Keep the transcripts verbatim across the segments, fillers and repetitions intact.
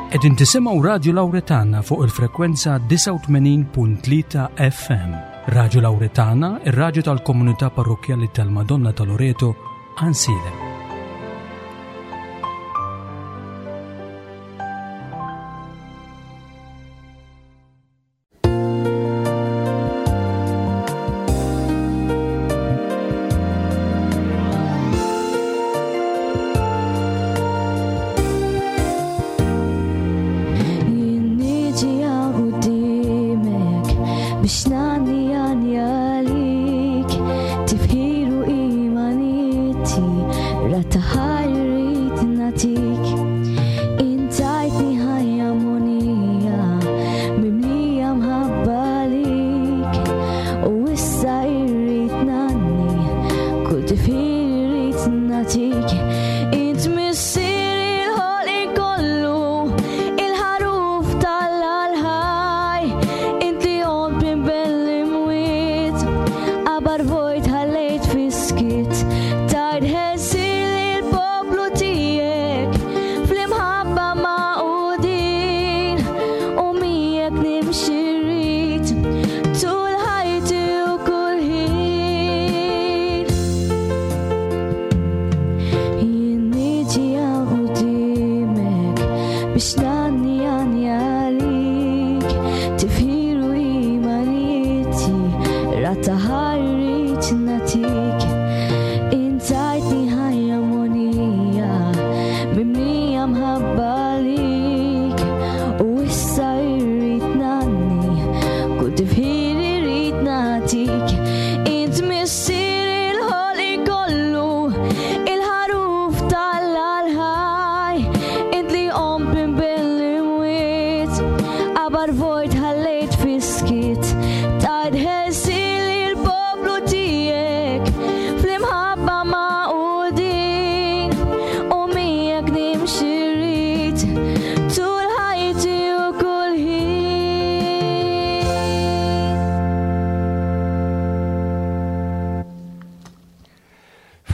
Qegħdin tisimgħu Radju Lawretana fuq il-frekwenza disgħa u tmenin punt tlieta F M. Radju Lawretana, ir-radju tal-komunità parrokkjali tal-Madonna ta' Loreto, Għajnsielem.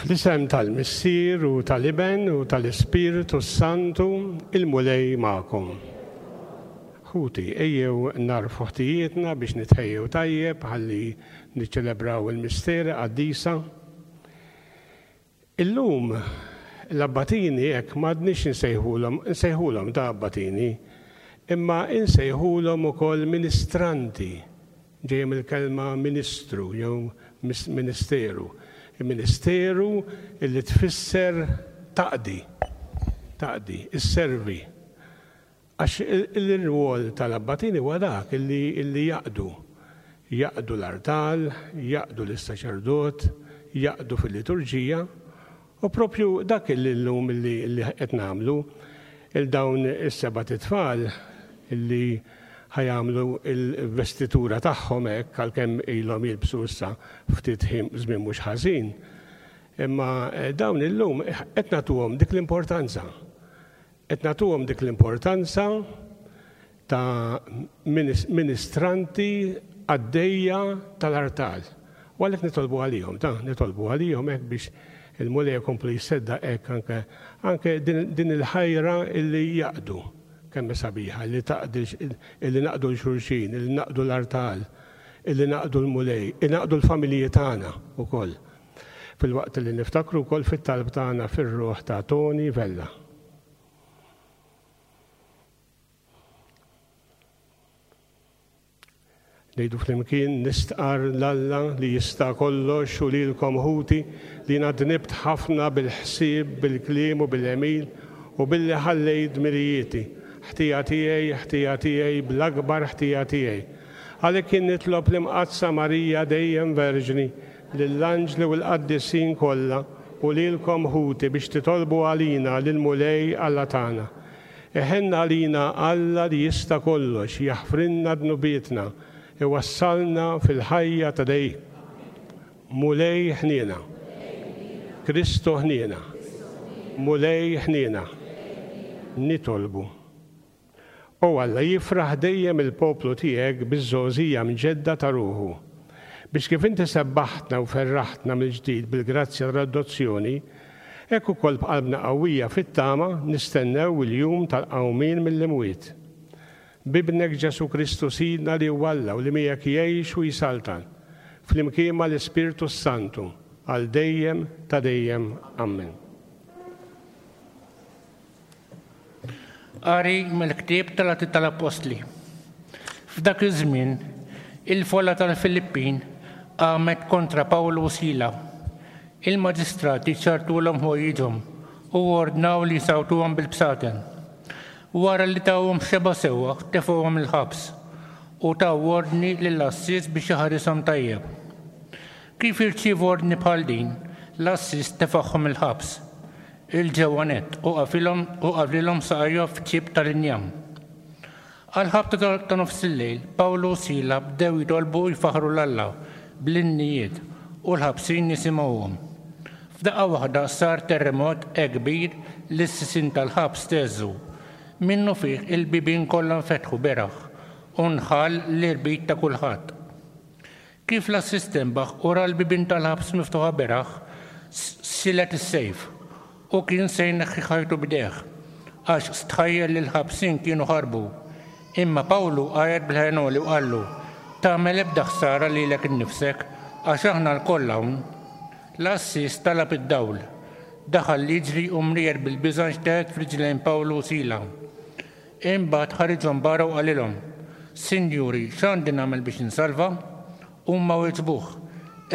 Fl-isem tal-Missier u tal-Iben u tal-Ispirtu Santu, il-Mulej magħkom. Ħuti, ejjew narfu ħtijietna biex nitħejjew tajjeb ħalli niċċelebraw il-misteri qaddisa. Illum l-abbatini hekk m'għadniex insejħulhom, insejħulhom ta' abbatini, imma insejħulhom ukoll ministranti, ġejja mill-kelma ministru jew mis-, ministeru. Il-ministeru illi tfisser taqdi, taqdi, isservi. Għax il-, il-rwol tal-abbatini huwa dak illi, illi jaqdu. Jaqdu l-artal, jaqdu l-saċerdot, jaqdu fil-liturġija, u propju dak illi llum illi, illi qed nagħmlu il dawn is-seba' tfal illi ħajamlu il-vestitura tagħhom hekk għalkemm ilhom jilbsu issa ftit ħin żmien mhux ħażin. Imma, eh, dawn illum qed nagħtuhom dik l-importanza. Qed nagħtuhom dik l-importanza ta' minis-, ministranti għaddejja tal-artal. U għalhekk nitolbu għalihom, ta' nitolbu għalihom hekk biex il-Mulej jkompli jsedda hekk anke, anke din, din il-ħajra illi jaqdu. Kemm sabiħa li taqdi illi naqdu l-xulxin, illi naqdu l-artal, illi naqdu l-Mulej, illi naqdu l-familji tagħna wkoll. Fil-waqt li niftakru wkoll fit-talb tagħna fir-ruħ ta' Tony Vella. Ngħidu flimkien nistqar l-Alla li jista' kollox u lilkom ħuti li jiena dnibt ħafna bil-ħsieb, bil-kliem u bil-għemil u billi ħallejt dmirijieti. Ħtija tiegħi, ħtija tiegħi, bl-akbar ħtija tiegħi. Għalhekk jien nitlob l-Imqaddsa Marija dejjem Verġni, lill-anġli u l-qaddisin kollha u lilkom ħuti biex titolbu għalina lill-Mulej Alla tagħna. Iħenna għalina Alla li jista' kollox, jaħfrilna dnubietna, iwassalna fil-ħajja ta' dejjem. Mulej ħniena. Kristu ħniena. Mulej ħniena. Nitolbu. O Alla, jifraħ dejjem il-poplu tiegħek biż-żgħożija mġedda ta' ruħu, biex kif inti sebbaħtna u ferraħtna mill-ġdid bil-grazzja tal-adozzjoni, Hekk ukoll b'qalbna qawwija fit-tama nistennew il-jum tal-qawmien mill-imwiet. B'Ibnek Ġesù Kristu Sidna li huwa Alla u li miegħek jgħix u jsaltan, flimkien mal-Ispirtu s-Santu, għal dejjem ta' dejjem. Amen. Qari mill-ktieb tal-Atti tal-Appostli. F'dak iż-żmien, il-folla tal-Filippin qamet kontra Pawlu u Sila. Il-maġistrati ċartulhom ħwejjiġhom u ordnaw li jsawtuhom bil-bsaten. Wara li tawhom xeba sewwa, tefgħuhom il-ħabs u taw ordni lill-għassies biex iħarishom tajjeb. Kif irċievu ordni bħal din, l-għassies tefagħhom il-ħabs. Il-ġewwa nett u qafilhom u qaflilhom saqajhom f'ċieb tal-injam. Għal-ħabta ta' nofs il-lejl, Pawlu u Sila bdew jitolbu u jfaħħru 'l Alla bl-innijiet u l-ħabsin jisimgħuhom. F'daqqa waħda sar terremot hekk kbir li s-sisien tal-ħabs teżżu. Minnu fih il-bibien kollha nfetħu beraħ u nħall l-irbit ta' kulħadd. Kif l-għassies tenbaħ u ra l-bibien tal-ħabs miftuħa beraħ, silet is-sejf u kien se jneħħi ħajtu b'idejh, għax stħajjel li l-ħabsin kienu ħarbu. Imma Pawlu għajat bil-ħen għoli u qallu, tagħmel ebda ħsara lilek innifsek, għax aħna lkoll hawn. L-għassies talab id-dawl. Daħal jiġri u mrijer bil-biża' nxteħet f'riġlejn Pawlu u Sila. Imbagħad ħariġhom barra u qalilhom, Sinjuri, x'għandi nagħmel biex insalva? Huma weġbuh,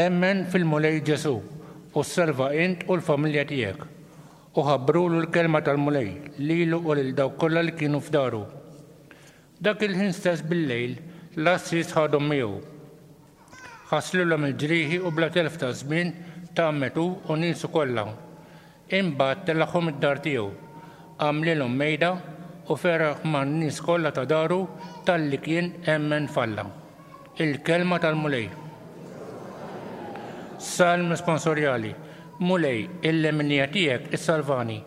Emmen fil-Mulej Ġesù u ssalva int u l-familja tiegħek. U ħabbrulu l-kelma tal-Mulej lilu u lil dawk kollha li kienu f'daru. Dak il-ħin stess bil-lejl, l-għassies ħadhom miegħu. Ħaslulhom il-ġrieħi u bla telf ta' żmien tgħammed hu u niesu kollha. Imbagħad telagħhom id-dar tiegħu, għamlilhom mejda u feraħ man-nies kollha ta' daru talli kien emmen f'Alla. Il-kelma tal-Mulej. Salm responsorjali. Mulej, il-leminija tiegħek issalvani.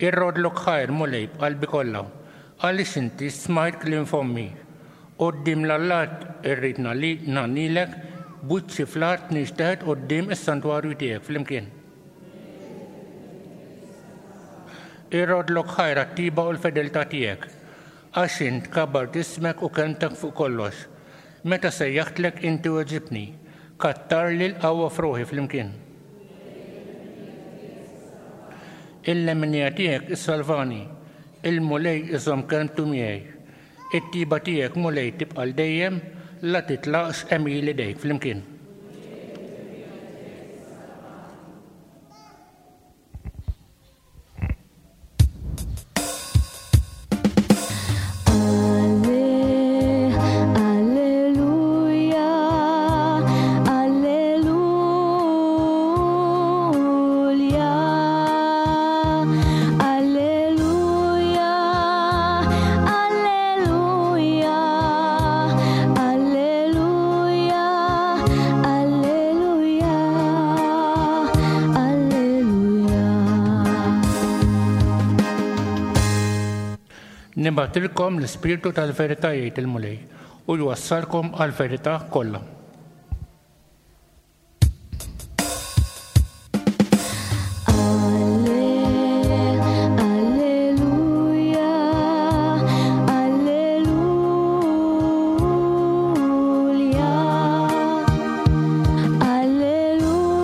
Irrodlok ħajr, Mulej, b'qalbi kollha, għaliex inti smajt kliem fommi. Quddiem l-allat irrid ngħannilek, b'wiċċi fl-art nixteħet quddiem is-santwarju tiegħek flimkien. Irrodlok ħajr għat-tiba u l-fedeltà tiegħek, għax int kabbart ismek u kelmtek fuq kollox. Meta sejjaħtlek inti weġibtni, kattarli l-qawwa f'ruħi flimkien. Il-leminija tiegħek issalvani, il-Mulej iżomm kelmtu miegħi. It-tiba tiegħek, Mulej, tibqa' l dejjem, la titlaqx għemil idejk flimkien. Alleluja, alleluja, alleluja, alleluja, alleluja, alleluja, alleluja. Nibgħatilkom l-Ispirtu tal-verità, jgħid il-Mulej, u jwassalkom għall-verità kollha. Alleluja, alleluja, alleluja, alleluja,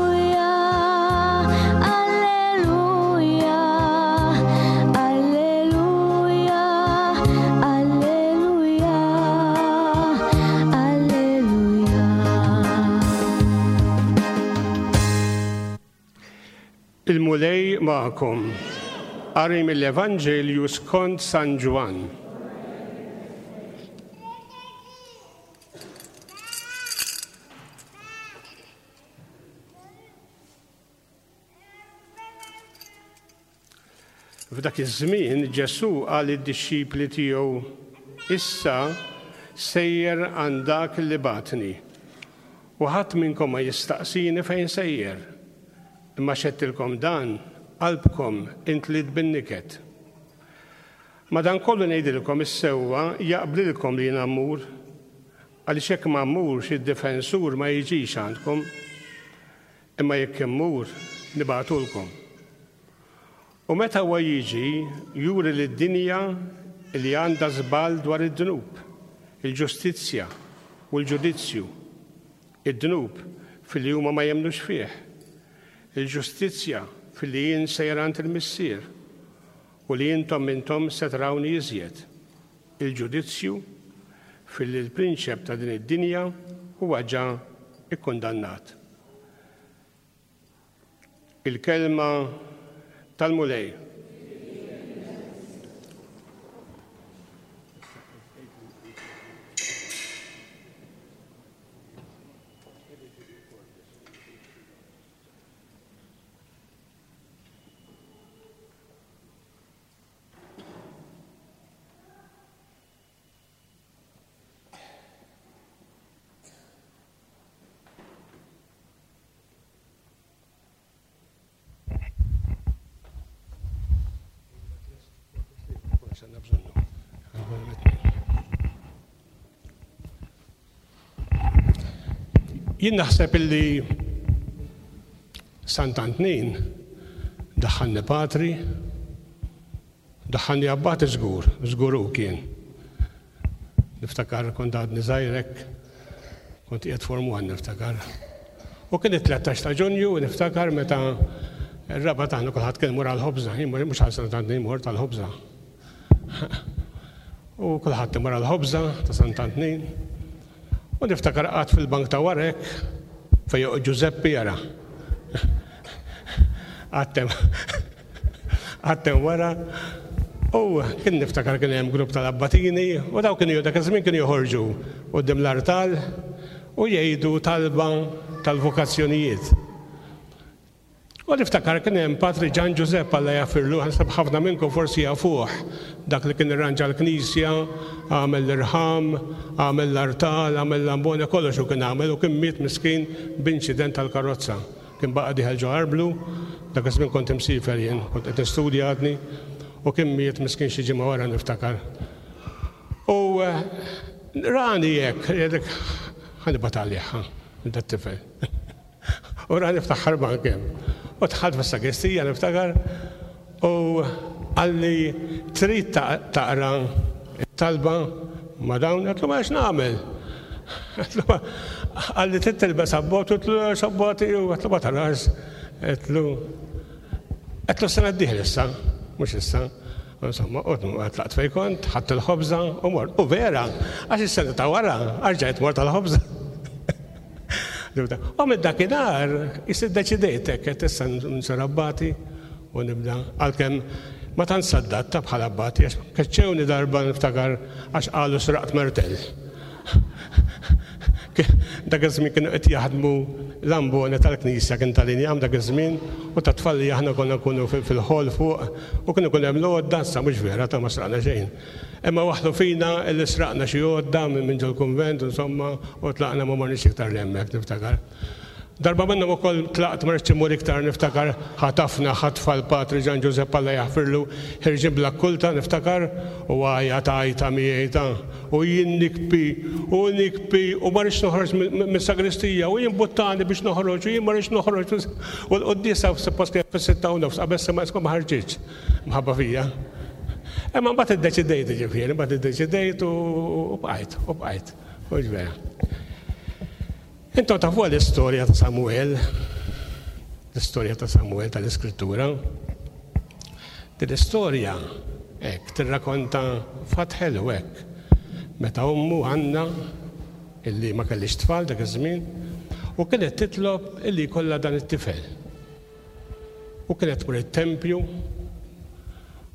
alleluja, alleluja, alleluja. Il-Mulej magħkom. Qari mill-Evanġelju skont San Ġwann. F'dak iż-żmien Ġesù qal lid-dixxipli tiegħu, Issa sejjer għand dak li bagħatni, u ħadd minnkom ma jistaqsini fejn sejjer. Imma xedtilkom dan, qalbkom intliet bin-niket. Madankollu ngħidilkom is-sewwa jaqblilkom li jiena mmur, għaliex hekk ma mmurx id-difensur ma jiġix għandkom. Imma jekk immur nibagħtulkom. U meta huwa jiġi juri lid-dinja li għandha żball dwar id-dnub, il-ġustizzja u l-ġudizzju. Id-dnub filli huma ma jemmnux fih, il-ġustizzja filli jien sejjer għand il-Missier u li intom m'intom se tarawni iżjed. Il-ġudizzju filli l-prinċep ta' din id-dinja huwa ġa ikkundannat. Il-kelma tal-Mulej. Jien naħseb illi Sant'Antnin daħħalni patri, daħħalni abbati żgur, żgur hu kien. Niftakar kont għadni żgħirek, kont qiegħed form one niftakar. U kien it-tlettax ta' Ġunju niftakar meta r-raba tagħna kulħadd kien imur għall-ħobża, jien mhux għal Sant'Antnin mort għall-ħobża. U kulħadd imur għall-ħobża ta' Sant'Antnin. U niftakar qatt fil-bank ta' warek fejn joqgħod Ġużeppi jara. Għattem għattem wara. U kien niftakar kien hemm grupp tal-abbatini u daw kienu dak iż-żmien kienu joħorġu quddiem l-artal u jgħidu talba tal-vokazzjonijiet. U niftakar kien hemm Patri Ġan Ġużepp Alla jafirlu, ħansab ħafna minnkom forsi jafuh, dak li kien irranġa l-knisja, għamel l-irħam, għamel l-artal, għamel l-ambona, kollox u kien għamel u kien miet miskin b'inċident tal-karozza. Kien baqa' dieħel ġo arblu, dak iż-żmien kont imsiefer jien, kont qed nistudja għadni, u kien miet miskin xi ġimgħa wara niftakar. U rani hekk, jgħidlek ħanibgħat għalih, dat-tifel. U rani ftaħ ħarban kemm. U dħalt fis-sagristija niftakar u qalli trid taqra t-talba ma' dawn, għedtlu ma x'nagħmel. Qalli trid tilbes abbot, għedtlu x'abboti, u għedtlu ma tarax, għedtlu għedtlu s-sena d-dieħla issa, mhux issa. Insomma, u tlaqt fejn kont, ħadt il-ħobża u mort. U vera, għax is-sena ta' wara rġajt mort għall-ħobża. U minn dakinhar issa ddeċidejt hekk qed issa nsir abbati u nibda għalkemm ma tant saddatta bħala abbati għax keċċewni darba niftakar għax qalu sraqt martell. Dak iż-żmien kienu qed jaħdmu l-ambona tal-knisja kien tal-injam dak iż-żmien u ta' tfal li aħna konna nkunu fil-ħol fuq u kienu jkun hemm l-għodda, issa mhux vera ta' ma sraqna xejn. Imma waħlu fina illi sraqna xi għodda minn ġol-kunvent insomma u tlaqna ma morniex iktar l hemmhekk niftakar. Darba minnhom ukoll tlaqt ma rridx immur iktar niftakar ħatafna ħatfa l-Patri Ġan Ġużepp Alla jaħfirlu ħirġin bla kulta niftakar u għajja tajta miegħi ta' u jien nikbi u nikbi u ma rridx noħroġ mis-sagristija u jien buttani biex noħroġ u jien ma rridx noħroġ u l-quddiesa suppost kienet fis-sitta u nofs qabel ma ma ħarġitx mħabba fija. Imma mbagħad iddeċidejt ġifieri, mbagħad iddeċidejt u bqajt, u bqajt. U ġvera. Intom tafu l-istorja ta' Samuel, l-istorja ta' Samuel tal-Iskrittura. Din l-istorja hekk tirrakonta fatt ħelu hekk. Meta ommu Anna, illi ma kellix tfal dak iż-żmien, u kienet titlob illi jkollha dan it-tifel. U kienet tmur it-tempju,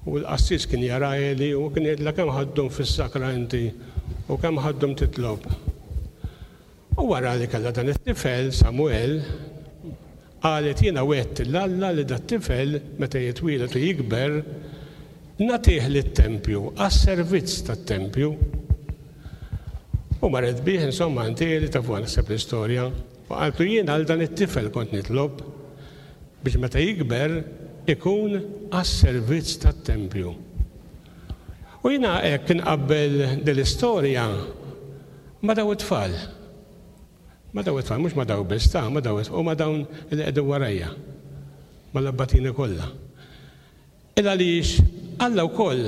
u l-qassis kien jara Eli u kien jgħidilha kemm ħaddhom fis-sakra inti u kemm ħaddhom titlob. U wara li kellha dan it-tifel, Samuel, qalet jiena wegħedt lil Alla li dat-tifel meta jitwieled u jikber nagħtih lit-tempju, għas-servizz tat-tempju. U marret bih, insomma, għand Eli, tafu naħseb l-istorja, u qaltlu jien għal dan it-tifel kont nitlob biex meta jikber ikun għas-servizz tat-tempju. U jiena hekk inqabbel din l-istorja ma' daw it-tfal. Ma daw it-tfal, mhux ma daw biss, ta' ma daw u ma dawn li qegħdin warajja, mal-abbatini kollha. Il għaliex Alla wkoll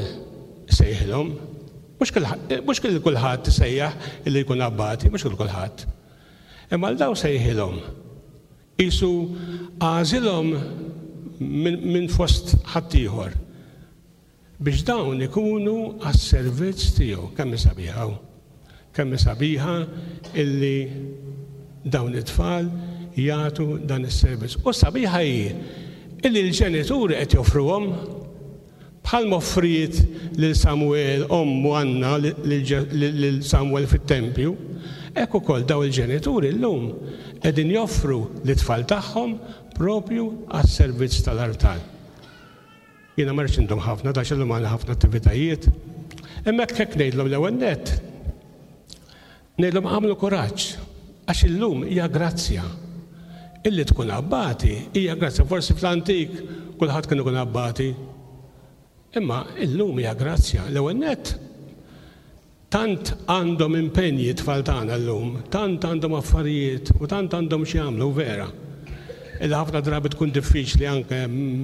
sejħilhom, mhux kull kulħadd sejjaħ illi jkun abbati, mhux kull kulħadd. Imma għal daw sejħilhom. Isu għażilhom minn fost ħaddieħor biex dawn ikunu għas-servizz tiegħu. Kemm hi sabiħa, kemm hi sabiħa illi dawn it-tfal jagħtu dan is-servizz. U sabiħa hi illi l-ġenituri qed joffruhom bħal offriet lil Samuel ommu Anna lil Samuel fit-tempju, hekk ukoll daw il-ġenituri llum qegħdin joffru lit-tfal tagħhom propju għas-servizz tal-artal. Jiena ma rridx indum ħafna, għax illum għandna ħafna attivitajiet. Imma hekk ngħidlhom l-ewwel nett. Ngħidlhom għamlu kuraġġ, għax illum hija grazzja. Illi tkun abbati hija grazzja. Forsi fl-antik kulħadd kien ikun abbati. Imma illum hija grazzja. L-ewwel nett tant għandhom impenji tfal tagħna llum, tant għandhom affarijiet u tant għandhom xi jagħmlu vera. Illi ħafna drabi tkun diffiċli anke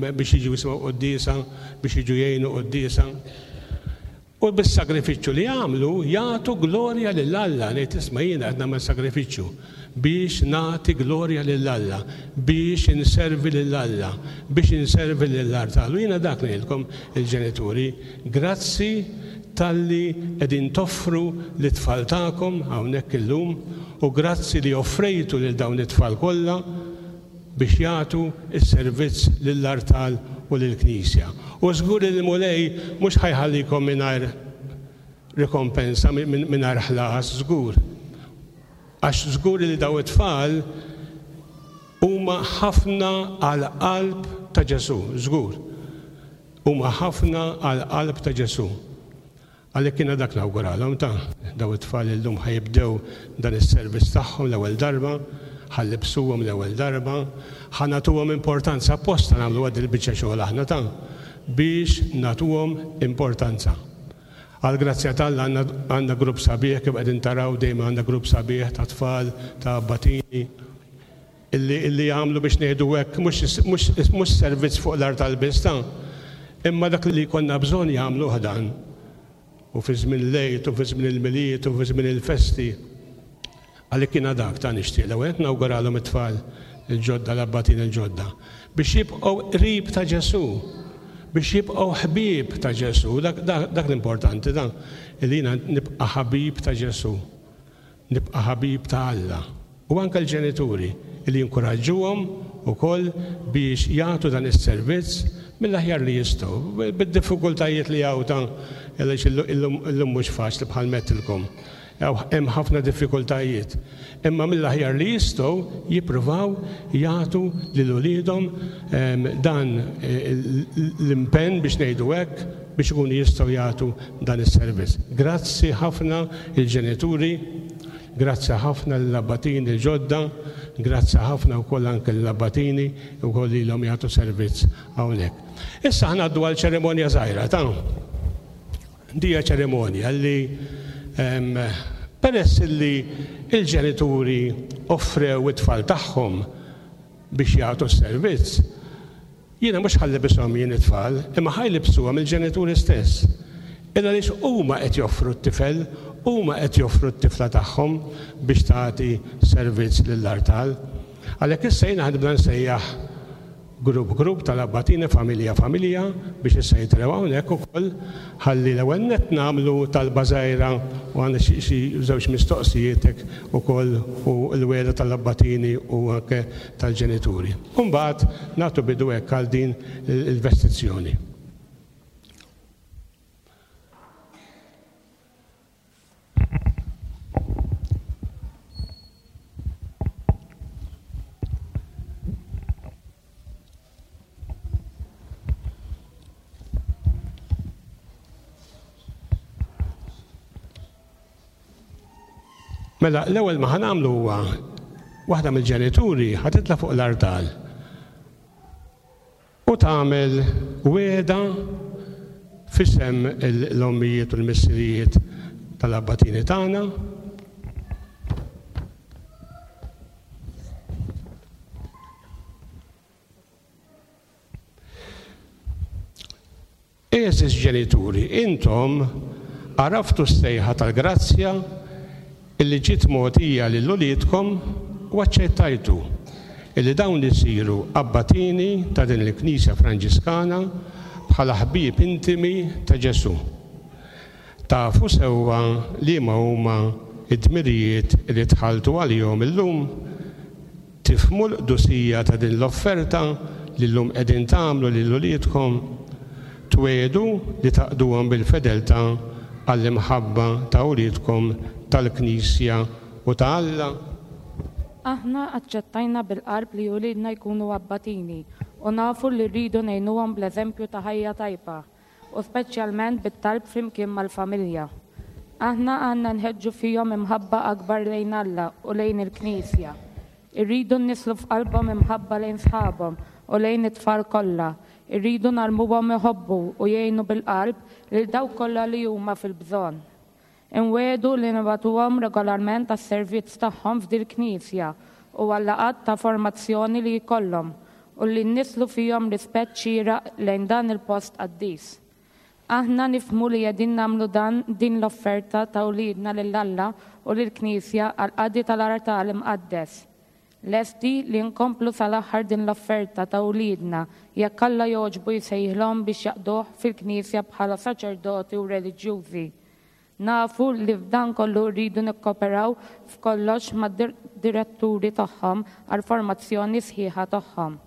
biex jiġu jisimgħu quddiesa, biex jiġu jgħinu quddiesa. U bis-sagrifiċċju li jagħmlu jagħtu glorja lil Alla. Ngħid isma' jiena qed nagħmel sagrifiċċju biex nagħti glorja lil Alla, biex inservi lil Alla, biex inservi lill-artal. U jiena dak ngħidilkom il-ġenituri, grazzi talli qegħdin toffru lit-tfal tagħkom hawnhekk illum, u grazzi li offrejtu lil dawn it-tfal kollha biex jagħtu s-servizz lill-artal u lill-Knisja. U żgur li l-Mulej mhux ħajħallikom mingħajr rikompensa, mingħajr ħlas, żgur. Għax żgur li daw it-tfal huma ħafna għall-qalb ta' Ġesù, żgur. Huma ħafna għall-qalb ta' Ġesù. Għalhekk jiena dak nawguralhom ta' daw it-tfal illum ħajibdew dan is-servizz tagħhom l-ewwel darba, ħallibsuhom l-ewwel darba, ħa nagħtuhom importanza apposta nagħmlu għad il-biċċa xogħol aħna ta' biex nagħtuhom importanza. Għal grazzja t'Alla għandna grupp sabiħ, kif qegħdin taraw dejjem għandna grupp sabiħ ta' tfal, ta' abbatini, illi, illi jagħmlu biex ngħidu hekk mhux servizz fuq l-artal biss ta' imma dak li jkollna bżonn jagħmluh dan. U fi żmien l-Għid, u fi żmien il-Milied, u fi żmien il-festi. Għalhekk jiena dak ta' nixtieq l-ewwel qed nawguralhom it-tfal il-ġodda, l-abbatin il-ġodda, biex jibqgħu qrib ta' Ġesù, biex jibqgħu ħbieb ta' Ġesù. Dak, dak, dak l-importanti, dan li jiena nibqa' ħabib ta' Ġesù, nibqa' ħabib ta' Alla. U anke l-ġenituri li jinkuraġġuhom ukoll biex jagħtu dan is-servizz mill-aħjar li jistgħu, bid-diffikultajiet li hawn ta' għaliex illum mhux faċli bħal mettilkom. Hemm ħafna diffikultajiet. Imma mill-aħjar li jistgħu jippruvaw jagħtu lil uliedhom dan l-impenn biex ngħidu hekk biex ikunu jistgħu jagħtu dan is-servizz. Grazzi ħafna il-ġenituri, grazzi ħafna lill-abbatini l-ġodda, grazzi ħafna wkoll anke lill-abbatini wkoll lilhom jagħtu servizz hawnhekk. Issa ħnaddu għal ċerimonja żgħira ta' dija ċerimonja li peress li il-ġenituri offrew it-tfal tagħhom biex jagħtu s-servizz, jiena mhux ħallibishom jien it-tfal, imma ħajlibsuhom il-ġenituri stess. Illa għaliex huma qed joffru t-tifel, huma qed joffru t-tifla tagħhom biex tagħti servizz lill-artal. Għalhekk issa jiena ħadibda nsejjaħ grupp grupp tal-abbatini, familja familja, biex issa jitilgħu hawnhekk ukoll ħalli l-ewwel nett nagħmlu talba żgħira u għandna xi żewġ mistoqsijiet hekk ukoll u l-wegħda tal-abbatini u anke tal-ġenituri. U mbagħad nagħtu bidu hekk għal din il-vestizzjoni. Mela, l-ewwel ma ħanamlu huwa waħda mill-ġenituri ħa titla' fuq l-artal u tagħmel wegħda f'isem l-ommijiet u l-missirijiet tal-abbatini tagħna. Għeżież ġenituri, intom għaraftu s-sejħa tal-grazzja illi ġiet mogħtija lil uliedkom u aċċettajtu illi dawn isiru abbatini ta' din il-Knisja Franġiskana bħala ħbieb intimi ta' Ġesù. Tafu sewwa liema huma id-dmirijiet li tħalltu għalihom illum, tifhmu l-qdusija ta' din l-offerta li llum qegħdin tagħmlu lil uliedkom, twiegħdu li taqduhom bil-fedeltà għall-imħabba ta' uliedkom tal-Knisja u ta' Alla. Aħna aċċettajna bil-qalb li uliedna jkunu abbatini u nafu li rridu ngħinuhom bl-eżempju ta' ħajja tajba u speċjalment bit-talb flimkien mal-familja. Aħna għandna nħeġġu fihom imħabba akbar lejn Alla u lejn il-Knisja. Irridu nnisslu f'qalbhom imħabba lejn sħabhom u lejn it-tfal kollha. Irridu ngħallmuhom iħobbu u jgħinu bil-qalb lil dawk kollha li huma fil-bżonn. Inwiegħdu li nibagħtuhom regolarment għas-servizz tagħhom f'dil-Knisja u għal-laqgħat ta' formazzjoni li jkollhom u li nnisslu fihom rispett xieraq lejn dan il-post qaddis. Aħna nifhmu li qegħdin nagħmlu dan din l-offerta ta' uliedna lil Alla u lill-Knisja għall-qadi tal-artal imqaddes. Lesti li nkomplu sal-aħħar din l-offerta ta' uliedna jekk Alla jogħġbu jsejħilhom biex jaqduh fil-Knisja bħala saċerdoti u reliġjużi. Nafu li f'dan kollu rridu nikkoperaw f'kollox mad-diretturi tagħhom għall-formazzjoni sħiħa tagħhom.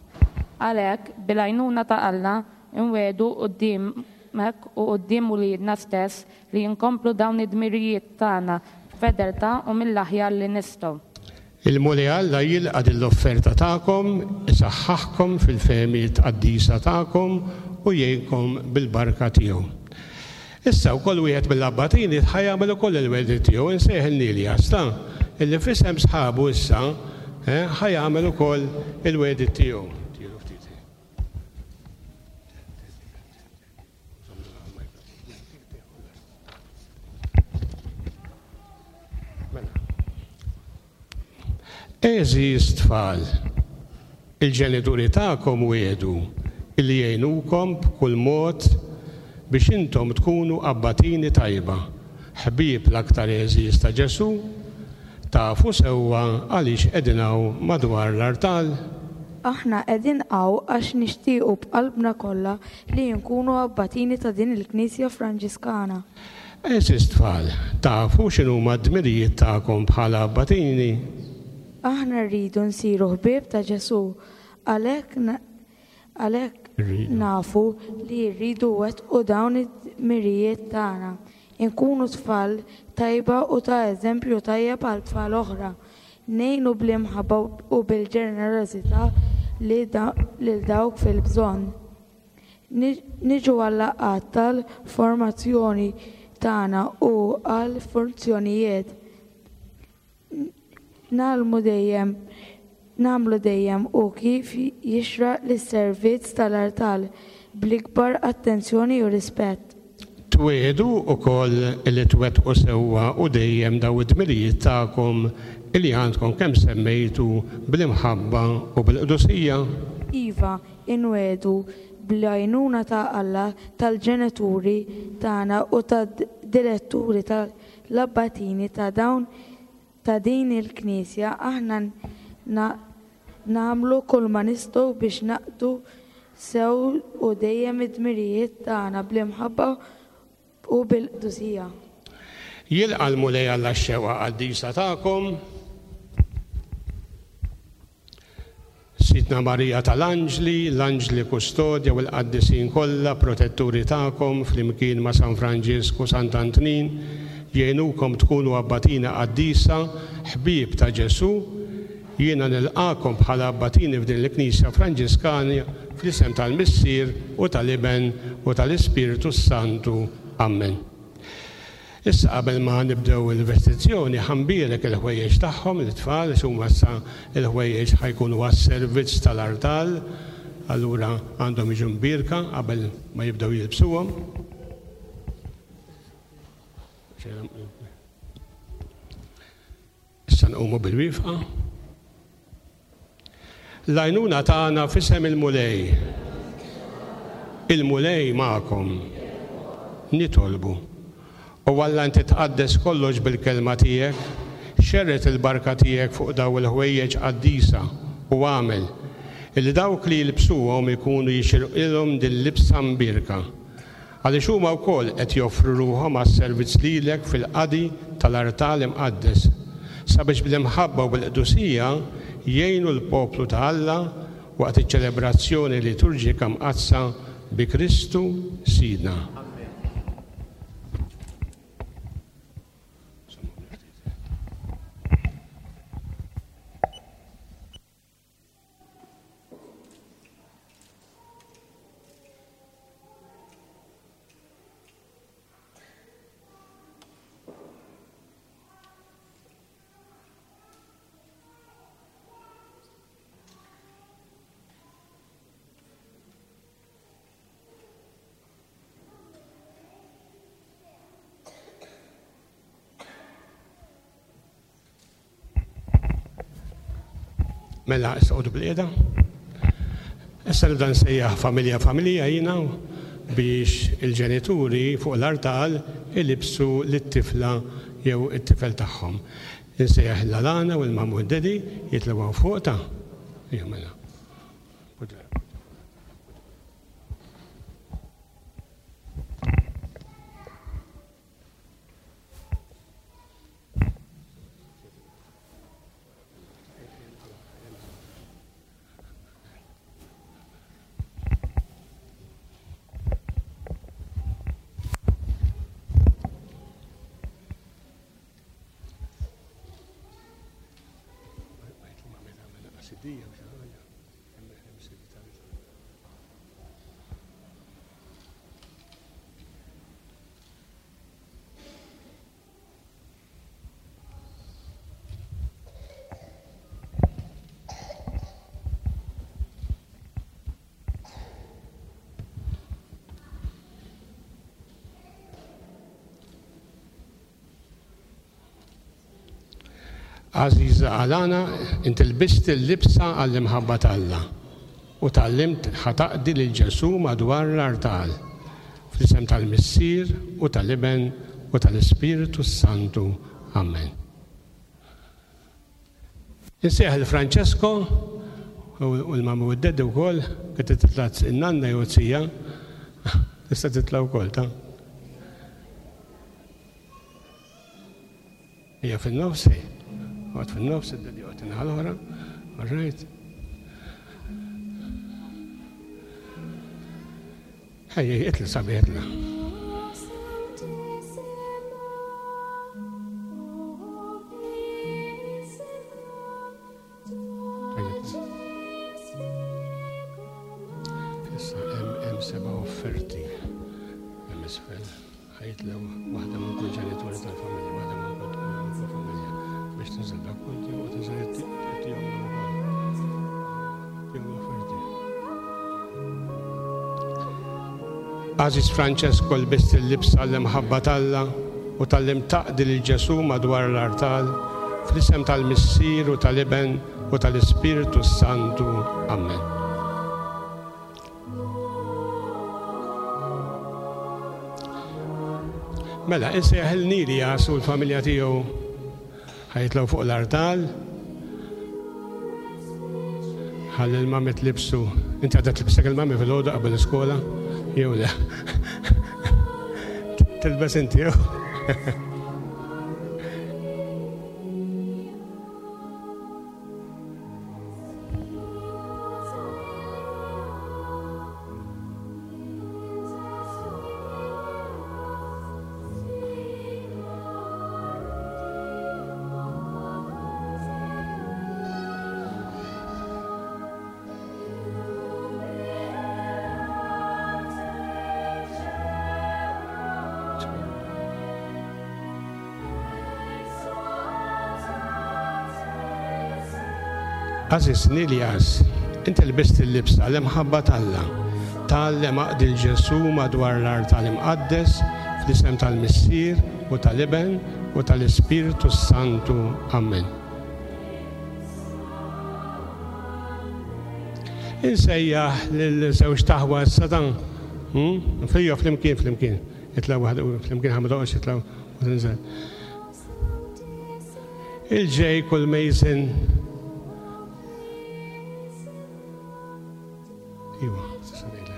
Għalhekk, bil-għajnuna ta' Alla, inwiegħdu qudiemek u quddiem uliedna stess li nkomplu dawn id-dmirijiet tagħna b'fedeltà u mill-aħjar li nistgħu. Il-Mulej Alla jilqa' din l-offerta tagħkom, isaħħaħkom fil-fehmiet qaddisa tagħkom u jgħinkom bil-barka tiegħu. Issa wkoll wieħed mill-abbatini ħa jagħmel ukoll il-wegħdi tiegħu, insejħ il-Nilja, sta illi f'isem sħabu issa ħa jagħmel ukoll il-wegħdi tiegħu. Għeżież tfal, il-ġenituri tagħkom wiegħdu illi jgħinukom b'kull mod biex intom tkunu abbatini tajba, ħbieb l-aktar għeżież ta' Ġesù, tafu sewwa għaliex qegħdin hawn madwar l-artal. Aħna qegħdin hawn għax nixtiequ b'qalbna kollha li nkunu abbatini ta' din il-Knisja Franġiskana. Għeżież tfal, tafu x'inhuma d-dmirijiet tagħkom bħala abbatini? Aħna rridu nsiru ħbieb ta' Ġesù, għalhekk għalhekk nafu li rridu wettqu dawn id-dmirijiet tagħna. Inkunu tfal tajba u ta' eżempju tajjeb għal tfal oħra. Ngħinu bl-imħabba u bil-ġenerożità lil dawk fil-bżonn. Niġu għal-laqgħat tal-formazzjoni tagħna u għall-funzjonijiet. Nagħmlu dejjem, nagħmlu dejjem u kif jixraq lis-servizz tal-artal bl-ikbar attenzjoni u rispett. Twiegħdu wkoll li twettqu sewwa u dejjem daw id-dmirijiet tagħkom illi għandkom kemm semmejtu bl-imħabba u bil-qdusija. Iva, inwiegħdu bl-għajnuna ta' Alla, tal-ġenituri tagħna u tad-diretturi tal-abbatini ta' dawn ta' din il-Knisja, aħna nagħmlu kull ma nistgħu biex naqdu sew u dejjem id-dmirijiet tagħna bl-imħabba u bil-qdusija. Jilqa' l-Mulej Alla x-xewqa qaddisa tagħkom. Sidna Marija tal-Anġli, l-Anġli Kustodja u l-Qaddisin kollha protetturi tagħkom flimkien ma' San Franġisku, Sant'Antnin, jgħinukom tkunu abbatina qaddisa, ħbieb ta' Ġesù. Jiena nilqakom bħala abbatini f'din il-Knisja Franġiskana fl-isem tal-Missier u tal-Iben u tal-Ispirtu Santu. Amen. Issa qabel ma nibdew il-vestizzjoni ħambierek il-ħwejjeġ tagħhom l-tfal għax huma issa il-ħwejjeġ ħajkunu għas-servizz tal-artal, allura għandhom jiġu mbierka qabel ma jibdew jilbsuhom. Issa nqumu bil-wifqa. L-għajnuna tagħna f'isem il-Mulej. Il-Mulej magħkom. Nitolbu. O Alla, inti tqaddes kollox bil-kelma tiegħek, xerred il-barka tiegħek fuq daw il-ħwejjeġ qaddisa u għamel illi dawk li jilbsuhom ikunu jixirqilhom din libsa mbierka. Għaliex huma wkoll qed joffru ruħhom għas-servizz lilek fil-qadi tal-artal imqaddes, sabiex bl-imħabba u bil-qdusija jgħinu l-poplu ta' Alla waqt iċ-ċelebrazzjoni liturġika mqaddsa bi Kristu Sidna. Mela, issa għodu bil-qiegħda. Issa nibda nsejjaħ familja familja jiena biex il-ġenituri fuq l-artal ilibsu lit-tifla jew it-tifel tagħhom. Insejjaħ l-Alana u l-Mamu Dedi jitlgħu fuq ta' Ejja mela. Għażiża Alana, inti lbist il-libsa għall-imħabba t'Alla u tgħallimt ħa taqdi lil Ġesù madwar l-artal. Fl-isem tal-Missier u tal-Iben u tal-Ispirtu Santu. Amen. Insejjaħ il-Francesco u l-mamu u d-deddi wkoll, kif titla' in-nanna jew t-sija, tista' titla' wkoll ta' Hija fin-nofs, għad fin-nofs, id-dedi għad inħal oħra, all right. Ejja, itla sabiħ, itla. Issa hemm seba' offerti hemm isfel. Ħajtlew waħda minn kull ġenituri tal-familja, waħda minn kull familja biex tinżel dak punti u tinżel it-tijom ukoll. Tijom l-offerti. Għażiż Francesco, lbist il-libsa l-imħabba t'Alla u tallim taqdi lil Ġesù madwar l-artal fl-isem tal-Missier u tal-Iben u tal-Ispirtu Santu. Amen. Mela, insejjaħ il-Nilias u l-familja tiegħu ħajtlaw fuq l-artal. Ħalli l-mami tlibsu. Inti għadha tlibsek il-mami fil-għodu qabel l-iskola? Jew le? Tilbes inti jew? Għażiż Nilias, inti lbist il-libsa l-imħabba t'Alla. Tgħallem aqdi l-Ġesù madwar l-artal imqaddes fl-isem tal-Missier u tal-Iben u tal-Ispirtu Santu. Amen. Insejjaħ lil żewġ taħwa issa dan. Hmm? Fija flimkien, flimkien. Itlgħu waħda flimkien ħa ma toqgħodx titlgħu u tinżel. Il-Jake u l-Mason. Iwa, s'issa ngħidlek.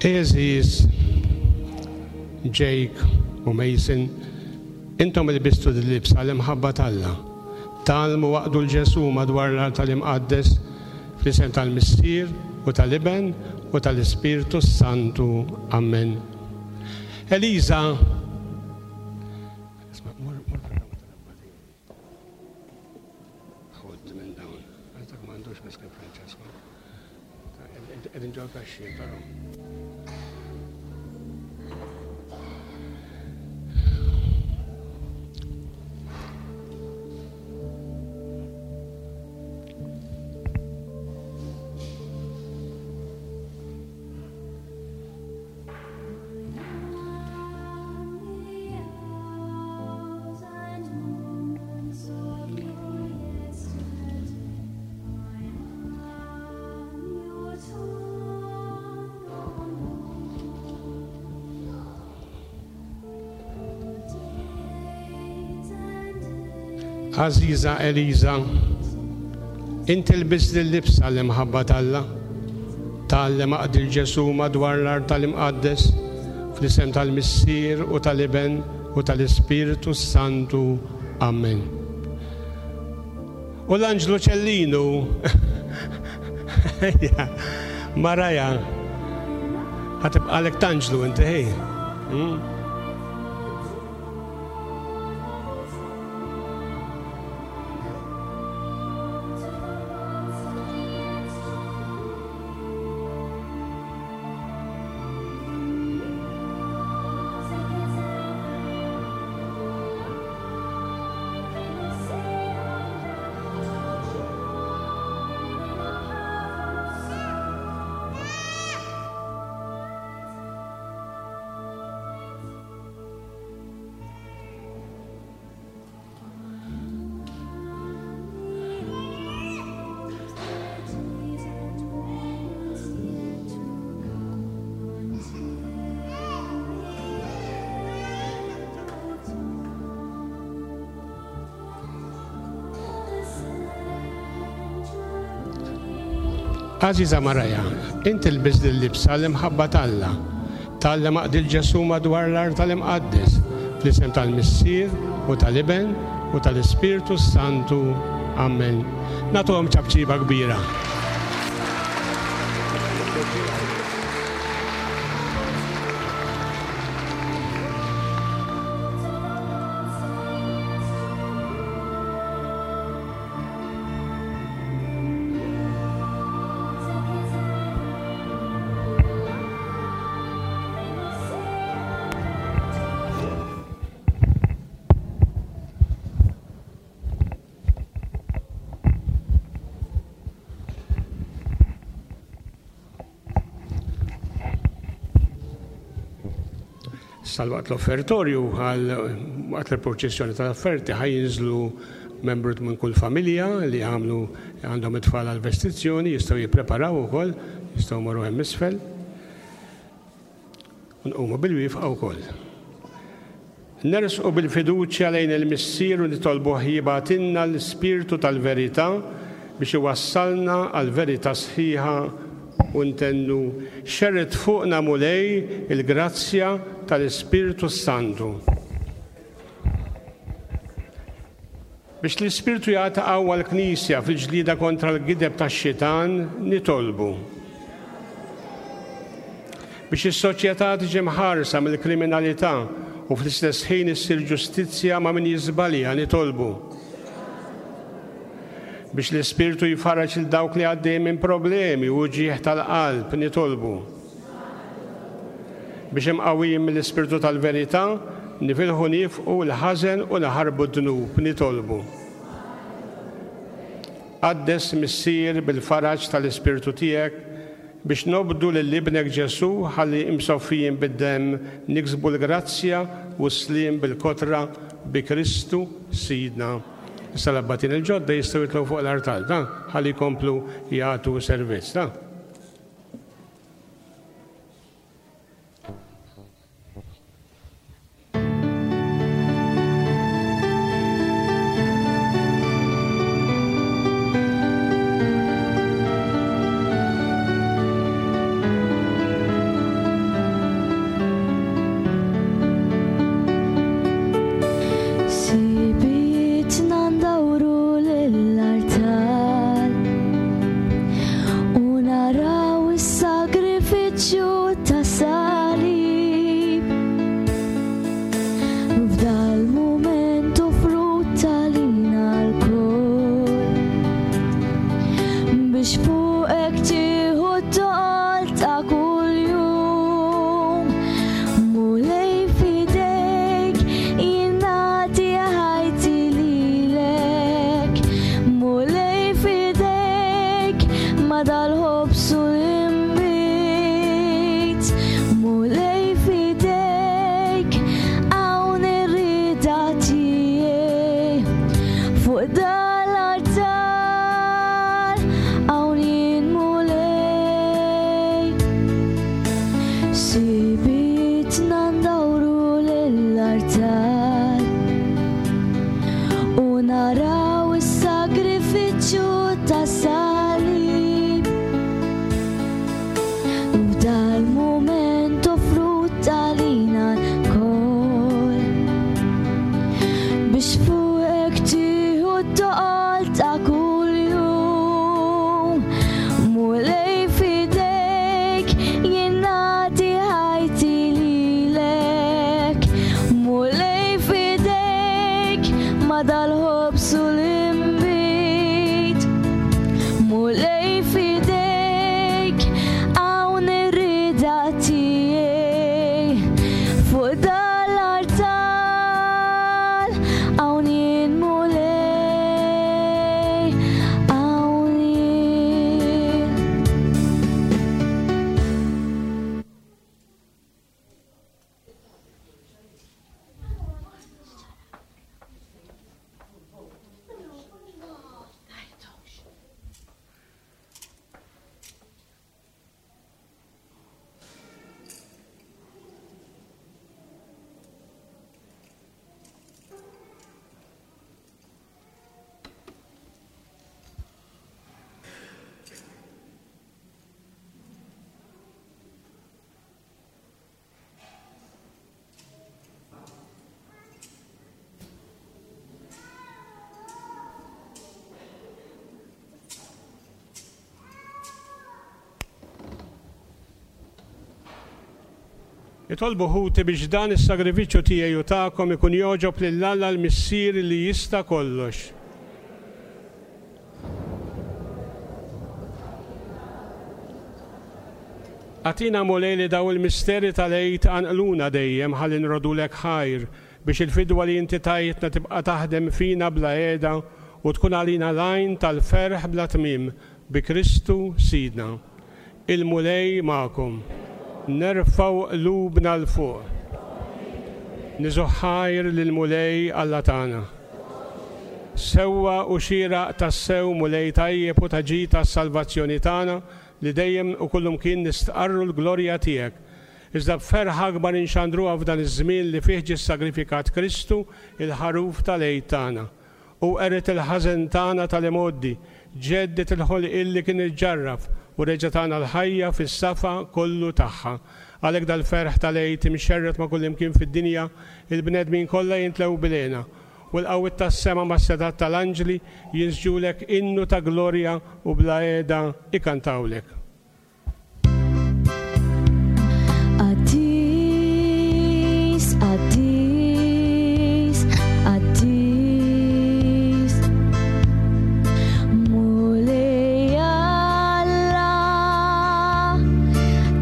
Għeżież, Jake u Mason, intom ilbistu dil-libsa l-imħabba t'Alla. Tgħallmu waqdu 'l Ġesù madwar l-altar imqaddes fl-isem tal-Missier u tal-Iben u tal-Ispirtu Santu. Amen. Eliza. Isma', mur, mur fil-kamra tal-abbatini. Ħodd minn dawn. Għax m'għandux miskin Francesco. Qegħdin ġol kaxxi, però. Għażiża Eliza, inti lbist l-libsa l-imħabba t'Alla. Tgħallem aqdi 'l Ġesù madwar l-artal imqaddes fl-isem tal-Missier u tal-Iben u tal-Ispirtu Santu. Amen. U l-Anġlu Ċellinu, Maraja, ħa tibqagħlek t'Anġlu inti ħej. Hmm? Għażiża Maraja, inti lbist l-libsa l-imħabba t'Alla. Tgħallem aqdi 'l Ġesù madwar l-artal imqaddes fl-isem tal-Missier u tal-Iben u tal-Ispirtu Santu. Amen. Nagħtuhom ċapċiba kbira. Sal-waqt l-offertorju, għal waqt il-proċessjoni tal-offerti, ħa jinżlu membru minn kull familja li għamlu għandhom it-tfal għal-vestizzjoni jistgħu jippreparaw ukoll, jistgħu morru hemm isfel. Nqumu bil-wieqfa wkoll. Nersqu bil-fiduċja lejn il-Missier u nitolbuh jibgħatilna l-Ispirtu tal-verità biex iwassalna għal-verità sħiħa u ntennu xerred fuqna Mulej il-grazzja tal-Ispirtu Santu. Biex l-Ispirtu jagħti qawwa l-Knisja fil-ġlieda kontra l-gideb tax-xitan, nitolbu. Biex is-soċjetà tiġi mħarsa mill-kriminalità u fl-istess ħin issir ġustizzja ma' min jiżbalja, nitolbu. Biex l-Ispirtu jfarraġ lil dawk li għaddej minn problemi u ġieħ tal-qalb, nitolbu. Biex imqawwijin mill-Ispirtu tal-verità, nifilħu nifqu l-ħażen u naħarbu d-dnub, nitolbu. Qaddes Missier bil-faraġ tal-Ispirtu tiegħek biex nobdu lil ibnek Ġesù ħalli imsoffijin bid-demm niksbu l-grazzja u s-sliem bil-kotra bi Kristu Sidna. Issa l-abbatin il-ġodda jistgħu jitilgħu fuq l-artal, da, ħalli jkomplu jagħtu servizz, da. Sibitna ndawru lill-artal u naraw is-sagrifiċċju ta' salib. F'dal mument offrut għalina lkoll biex fuqek tieħu t-toqol ta' kuljum. Mulej f'idejk jien nagħti ħajti lilek. Mulej f'idejk ma dal-ħobż u l-inbid. Mulej f'idejk hawn ir-rieda tiegħi. Fuq dal-artal hawn jien Mulej. Sibitna ndawru lill-artal u naraw is-sagrifiċċju ta' salib. F'dal mument offrut għalina lkoll biex fuqek tieħu t-toqol ta' kuljum. Mulej f'idejk jien nagħti ħajti lilek. Mulej f'idejk ma dal-ħobż u l-inbid. Mulej f'idejk hawn ir-rieda tiegħi. Fuq dal-artal hawn jien Mulej, hawn jien. Itolbu ħuti biex dan is-sagrifiċċju tiegħi u tagħkom ikun jogħġob lil Alla l-Missier li jista' kollox. Agħtina Mulej li daw il-misteri tal-Għid għanqluna dejjem ħalli nrodulek ħajr biex il-fidwa li inti tajtna tibqa' taħdem fina bla qiegħda u tkun għalina l-għajn tal-ferħ bla tmiem bi Kristu Sidna. Il-Mulej magħkom. Nerfgħu qlubna 'l fuq. Niżuħħajr lill-Mulej Alla tagħna. Sewwa u xieraq tassew, Mulej, tajjeb u ta' ġid tas-salvazzjoni tagħna li dejjem u kullumkien nistqarru l-glorja tiegħek. Iżda b'ferħ akbar inxandruha f'dan iż-żmien li fih ġie ssagrifikat Kristu, il-ħaruf tal-Għid tagħna. U qered il-ħażen tagħna tal-imgħoddi, ġedded il-ħolqien li kien iġġarraf u reġa' tagħna l-ħajja fis-safa kollu tagħha. Għalhekk dal-ferħ tal-Għid imxerred ma' kullimkien fid-dinja, il-bnedmin kollha jintlew bil-hena. U l-qawwiet tas-sema mas-setat tal-anġli jinsġulek innu ta' glorja u bla qiegħda ikantawlek. Qaddis, qaddis, qaddis, Mulej Alla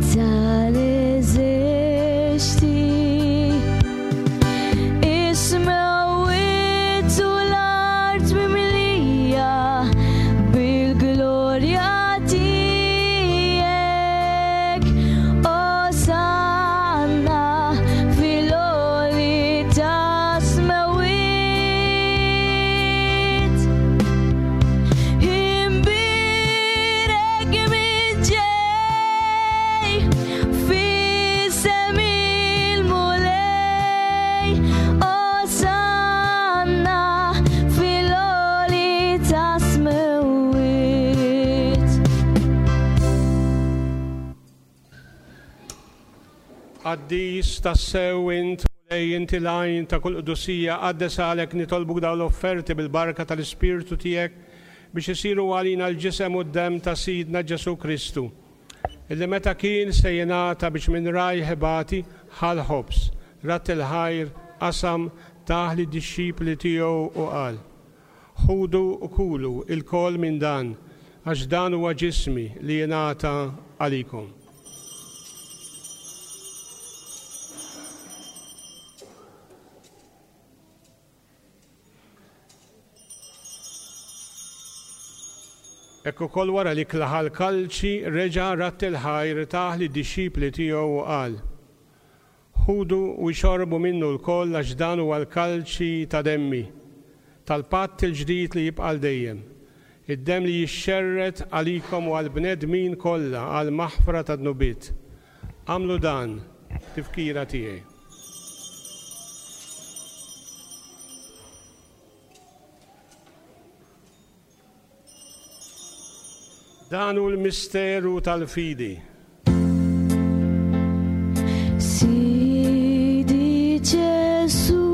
tal-eżerċti, is-smewwiet u l-art mimlija bil-glorja tiegħek. Osanna fil-għoli tas-smewwiet. Imbierek min ġej f'isem il-Mulej. Osanna fil-għoli tas-smewwiet. Qaddis tassew int, Mulej, inti l-għajn ta' kull qdusija, qaddes għalek nitolbuk dawn l-offerti bil-barka tal-Ispirtu tiegħek biex isiru għalina l-ġisem u d-demm ta' Sidna Ġesù Kristu, illi meta kien se jingħata biex minn rajh ibati ħa l-ħobż, ratt il-ħajr, qasam, tah lid-dixxipli tiegħu u qal: Ħudu u kulu ilkoll minn dan, għax dan huwa ġismi li jingħata għalikom. Hekk ukoll wara li klaħa l-kalċi, reġa' ratt il-ħajr, tah lid-dixxipli tiegħu u qal: Ħudu u xorbu minnu lkoll, għax dan huwa l-kalċi ta' demmi, tal-patt il-ġdid li jibqa' għal dejjem, id-demm li jixxerred għalikom u għall-bnedmin kollha għal maħfra ta' dnubiet. Agħmlu dan tifkira tiegħi. Dan hu l-misteru tal-fidi. Sidi Ġesù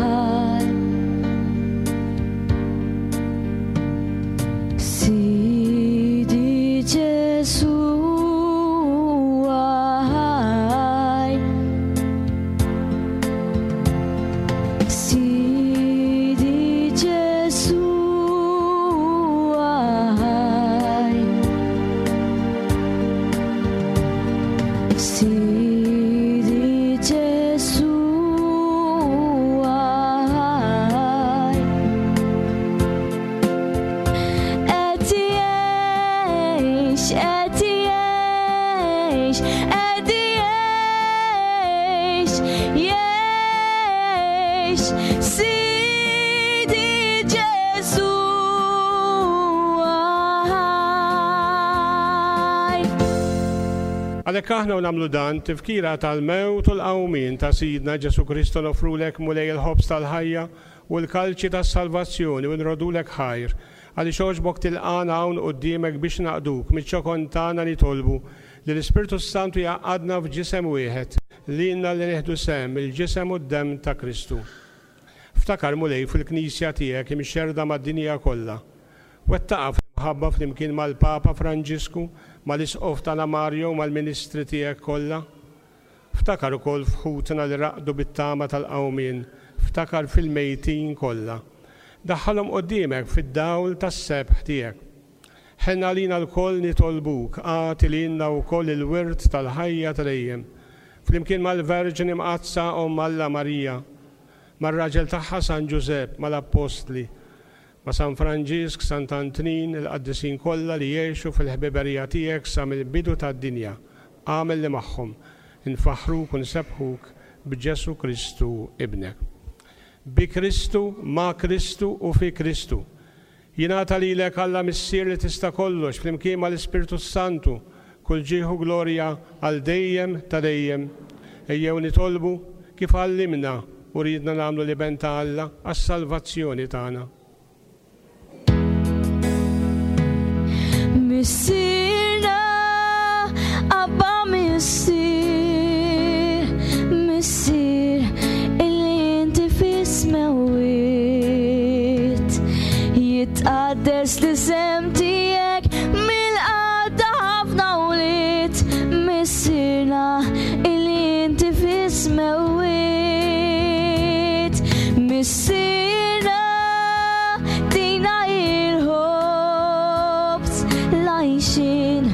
ħaj. Sidi Ġesù ħaj. Sidi Ġesù ħaj. Sidi Ġesù ħaj. Qed jgħix, qed jgħix, qed jgħix, jgħix, Sidi Ġesù ħaj. Għalhekk aħna u nagħmlu dan tifkira tal-mewt u l-qawmien ta' Sidna Ġesù Kristu nofrulek Mulej il-ħobż tal-ħajja u l-kalċi tas-salvazzjoni u nrodulek ħajr, għaliex għoġbok tilqana hawn quddiemek biex naqduk miċ-ċokon tagħna nitolbu li l-Ispirtu Santu jgħaqqadna f'ġisem wieħed lilna li nieħdu sehem il-ġisem u d-demm ta' Kristu. Ftakar Mulej fil-Knisja tiegħek imxerrda mad-dinja kollha. Wettaqha fl-imħabba flimkien mal-Papa Franġisku, mal-Isqof tagħna Mario u mal-Ministri tiegħek kollha. Ftakar ukoll f'ħutna li raqdu bit-tama tal-qawmien, ftakar fil-mejtin kollha. Daħħalhom quddiemek fid-dawl tas-sebħ tiegħek. Ħenna għalina lkoll nitolbuk, agħti lilna wkoll il-wirt tal-ħajja ta' dejjem. Flimkien mal-Verġni Mqaddsa Omm Alla Marija, mar-raġel tagħha San Ġużepp, mal-Appostli, ma' San Franġisk, Sant Antnin, il-qaddisin kollha li jgħixu fil-ħbiberija tiegħek sa mill-bidu tad-dinja, agħmel li magħhom infaħħruk u nsebbħuk b'Ġesù Kristu ibnek. Bi Kristu, ma' Kristu u fi Kristu. Jingħata lilek Alla Missier li tista' kollox flimkien mal-Ispirtu Santu, kull ġieħ u glorja għal dejjem ta' dejjem. Ejjew nitolbu kif għallimna u riedna nagħmlu l-Iben ta' Alla għas-salvazzjoni tagħna. Missierna, Abba Missier, Missier, illi inti fis-smewwiet, jitqaddes l-isem tiegħek mill-qadda ħafna wlied, Missierna, illi inti fis-smewwiet, Missierna, tina il-ħobż l-għajxien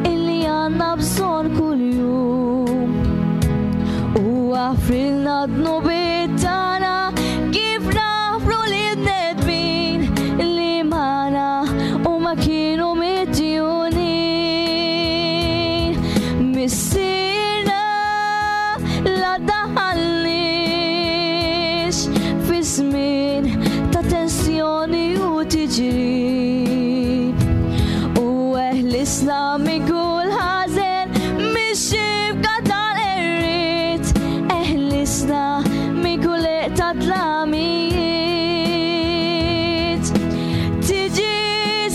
illi għandna bżonn kuljum. U aħfrilna dnubiet tagħna kif naħfru lin-nedmin li magħna u ma kienu midjunin. Missierna, la daħalniex fi żmien ta' tensjoni u tiġrib, u eħlisna minn kull ħażen mix-xibka tal-qerried, eħlisna minn kull eqq ta' tlamijiet. Tiġi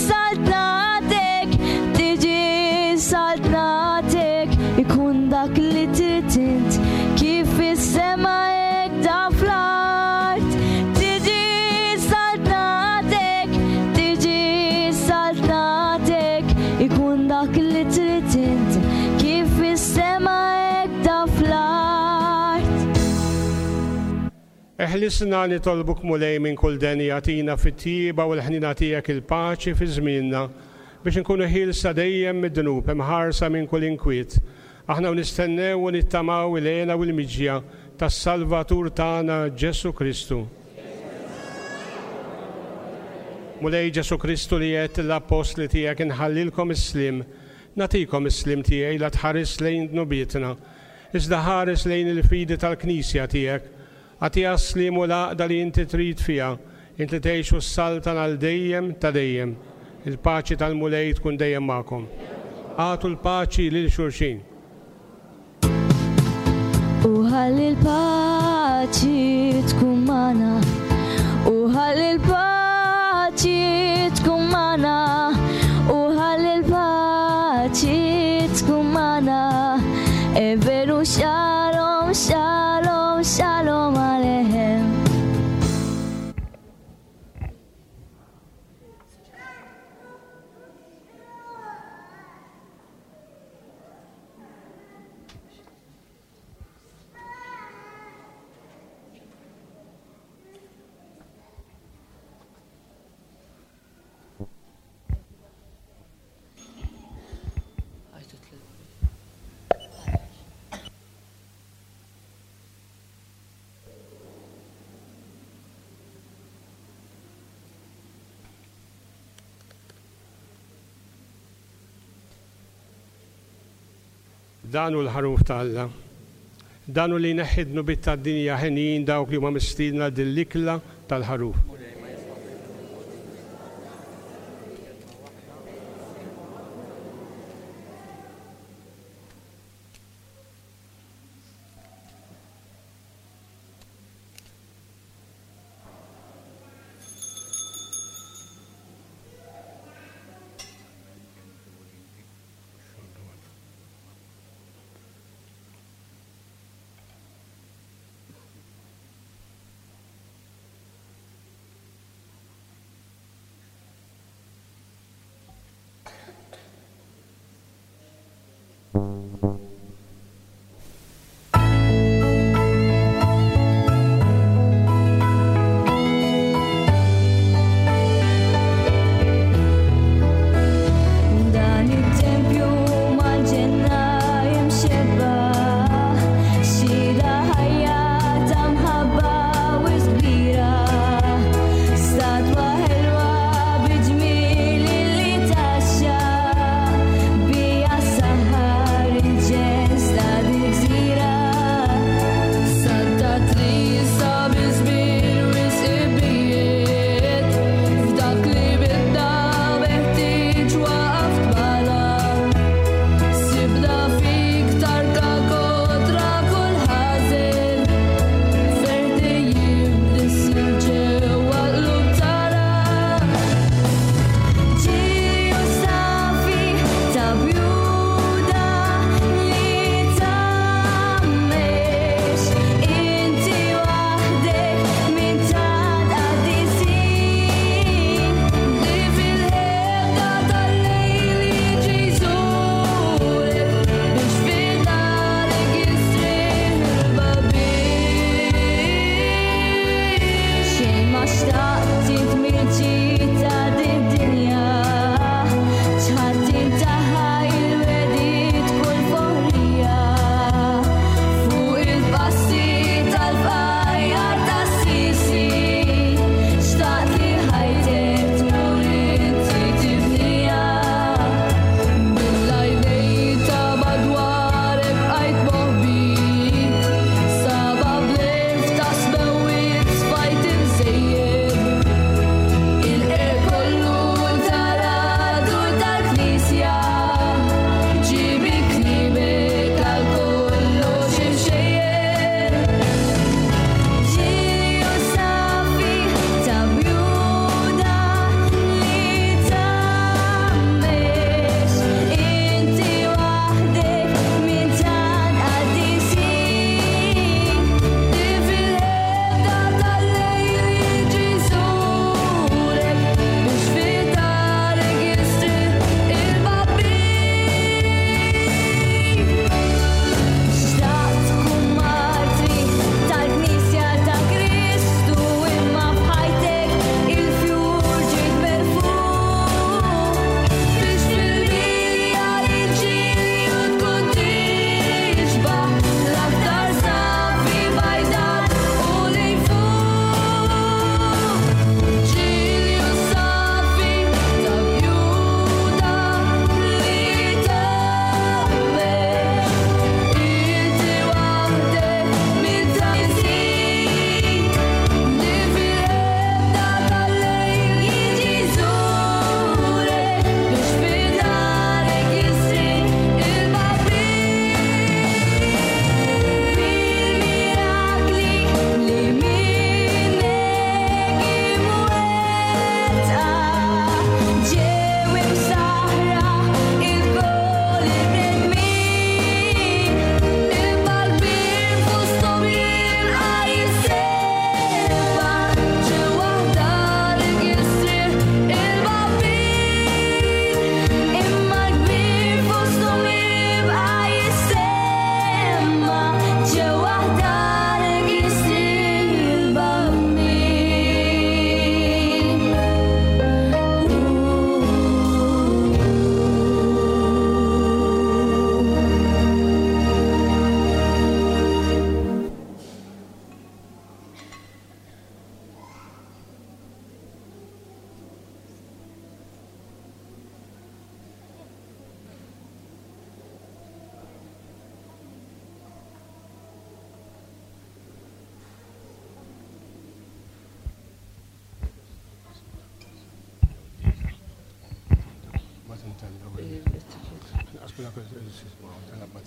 saltnatek, tiġi saltnatek, ikun dak li trid int kif fis-sema hekk da fl-art. Tiġi saltnatek, tiġi saltnatek, ikun dak li trid int kif fis-sema hekk da fl-art. Eħlisna nitolbuk Mulej minn kull deni, agħtina fit-tjieba u l-ħnina tiegħek il-paċi fi żmienna biex inkunu ħielsa dejjem mid-dnub, imħarsa minn kull inkwiet. Aħna nistennew u nittamaw il-hena u l-miġja tas-Salvatur tagħna Ġesu Kristu. Mulej Ġesu Kristu li għedt l-appostli tiegħek inħallilkom is-sliem, nagħtikom is-sliem tiegħi la tħares lejn dnubietna, iżda ħares lejn il-fidi tal-Knisja tiegħek. Agħtiha s-sliem u l-għaqda li inti trid fiha, int li tgħix u s-saltan għal dejjem ta' dejjem. Il-paċi tal-Mulej tkun dejjem magħkom. Agħtu l-paċi lil xulxin. U ħalli l-paċi tkun magħna, u ħalli l-paċi tkun magħna, u ħalli l-paċi tkun magħna. E veru shalom, shalom, shalom aleichem. Dan hu l-ħaruf ta' Alla. Dan hu li jneħħi d-dnubiet tad-dinja, ħenjin dawk li huma mistiedna din l-ikla tal-ħaruf.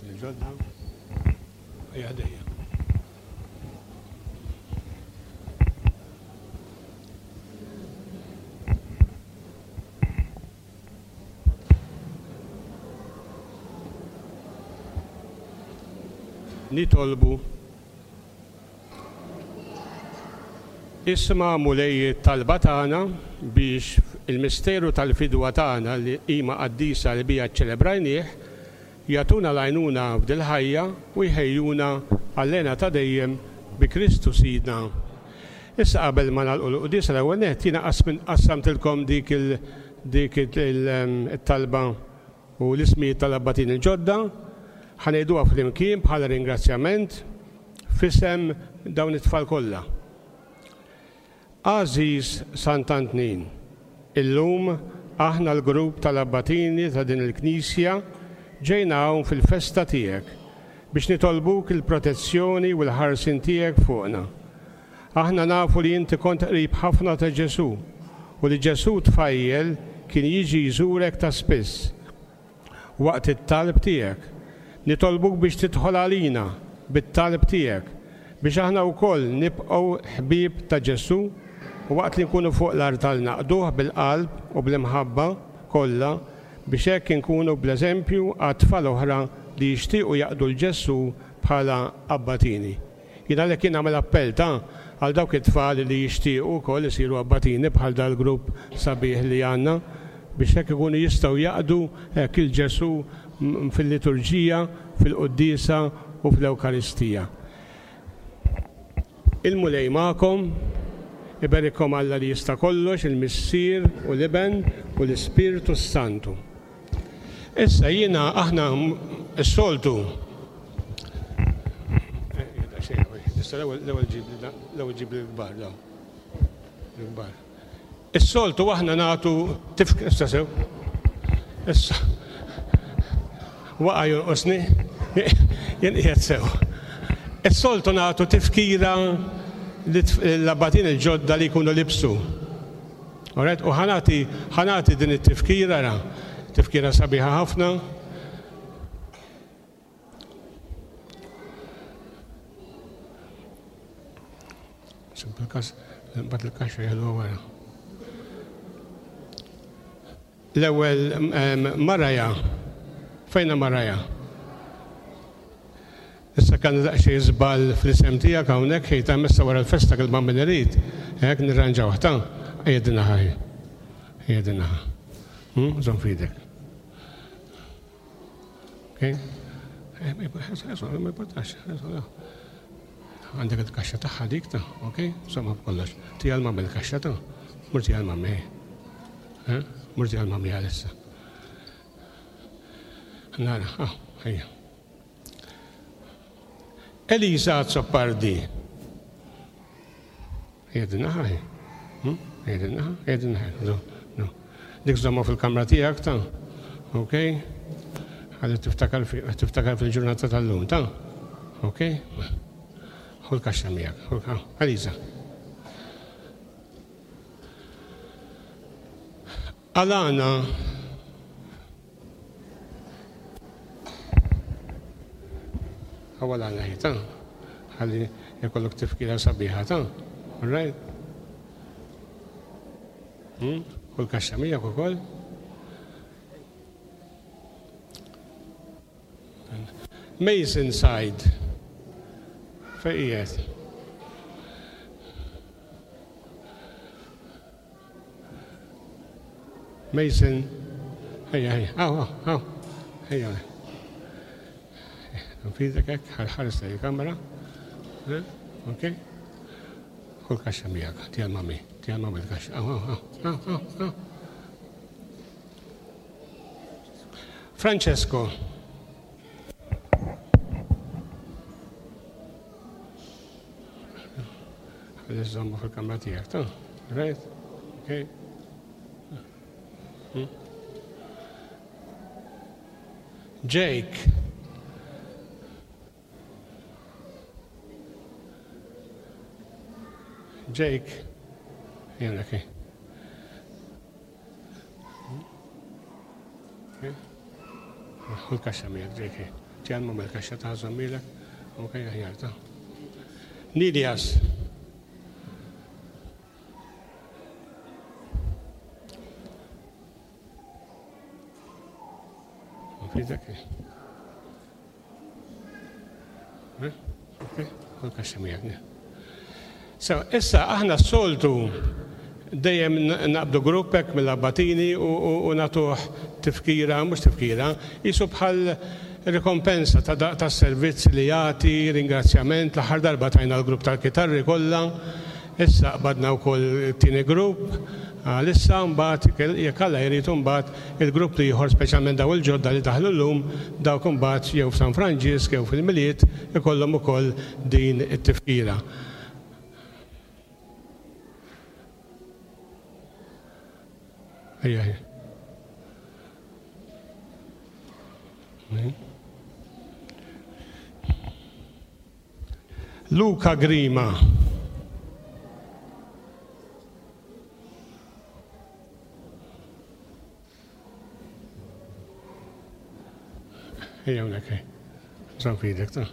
Il-ġodda. Ejja ħdejja. Nitolbu. Isma' Mulej it-talba tagħna biex il-misteru tal-fidwa tagħna li qima qaddisa li bija ċċelebrajnieh jagħtuna l-għajnuna f'dil-ħajja u jħejjuna għall-hena ta' dejjem bi Kristu Sidna. Issa qabel ma nagħlqu l-quddiesa l-ewwel nett jiena qassamtilkom dik il dik it-talba u l-ismijiet tal-abbatin il-ġodda. Ħa ngħiduha flimkien bħala ringrazzjament f'isem dawn it-tfal kollha. Għażiż Sant'Antnin, illum aħna l-grupp tal-abbatini ta' din il-Knisja ġejna hawn fil-festa tiegħek biex nitolbuk il-protezzjoni u l-ħarsien tiegħek fuqna. Aħna nafu li inti kont qrib ħafna ta' Ġesù u li Ġesù tfajjel kien jiġi jżurek ta' spiss waqt it-talb tiegħek. Nitolbuk biex tidħol għalina bit-talb tiegħek biex aħna wkoll nibqgħu ħbieb ta' Ġesù u waqt li nkunu fuq l-artal naqduh bil-qalb u bl-imħabba kollha biex hekk inkunu bl-eżempju għat-tfal oħra li jixtiequ jaqdu l Ġesù bħala abbatini. Jien għalhekk jien nagħmel appell ta' għal dawk it-tfal li jixtiequ wkoll isiru abbatini bħal dal-grupp sabiħ li għandna biex hekk ikunu jistgħu jaqdu hekk il-Ġesù fil-liturġija, fil-quddiesa u fl-Ewkaristija. Il-Mulej magħkom, iberikkom Alla li jista' kollox, il-Missier u l-Iben u l-Ispirtu s-Santu. Issa jiena aħna s-soltu. Issa l-ewwel l-ewwel ġib l-kbar daw. L-kbar. Is-soltu aħna nagħtu tifk issa sew. Issa waqa' jonqosni, jien qiegħed sew. Is-soltu nagħtu tifkira l-abbatin il-ġodda li jkunu libsu. Alright, u ħanati ħanati din it-tifkira ra, tifkira sabiħa ħafna. Simple kas, mbagħad il-kaxxa jieħdu wara. L-ewwel Maraja. Fejna Maraja? Issa kan daqsxejn żball fl-isem tiegħek hawnhekk ħejta messa wara l-festa kelma min irid, hekk nirranġaw ta' ejja din naħa. Ejja din naħa. Żomm f'idek. Okej? Ma importax. Għandek il-kaxxa tagħha dik ta' okej? Insomma b'kollox. Tija l-mamma l-kaxxa ta' murti għal-mammi. Murti għal-mammi għalissa. Nara, ah, ejja. Elisa Azzopardi. Ejja din naħa, ejja din naħa, ejja din naħa. Dik żomma fil-kamra tiegħek ta' okej? Ħalli tiftakar fil-ġurnata tal-lum ta' okej? Ħu l-kaxxa miegħek, Elisa. Alana Għawal għana ta' ħalli jkollok tifkira sabiħa ta' all right? U l-kaxxa miegħek ukoll. Mason Side. Fejn qiegħed? Mason. Ejja, ejja, aw, aw, aw. Ejja. Nfidek hekk, ħares lejn il-kamera. Okej? Ħu l-kaxxa miegħek, tiegħek mami, tiegħek mami l-kaxxa. Aw, aw, aw, aw, aw. Francesco. Ħalli żommu fil-kamra tiegħek, ta' right? Okej. Jake. Jake. Jena, okej. Ħu l-kaxxa miegħek, J K. Ġan ma l-kaxxa ta' żommilek. Ok, aħjar ta'. Nilias. Fidek. Eh? Ok, ħu l-kaxxa miegħek. So, issa aħna s-soltu dejjem naqbdu grupp hekk mill-abbatini u, u, u nagħtuh tifkira, mhux tifkira, jisu bħal rikompensa ta', ta servizz li jagħti, ringrazzjament. L-aħħar darba tajna l-grupp tal-kitarri kollha, issa qbadna wkoll it-tieni grupp, għalissa mbagħad jekk Alla jrid mbagħad il-grupp ieħor, speċjalment daw il-ġodda li daħlu llum, dawk imbagħad jew f'San Franġisk jew fil-Milied ikollhom ukoll din it-tifkira. Ejja, ejja. Luca Grima. Ejja hawnhekk, ej. Żomm f'idek, ta'.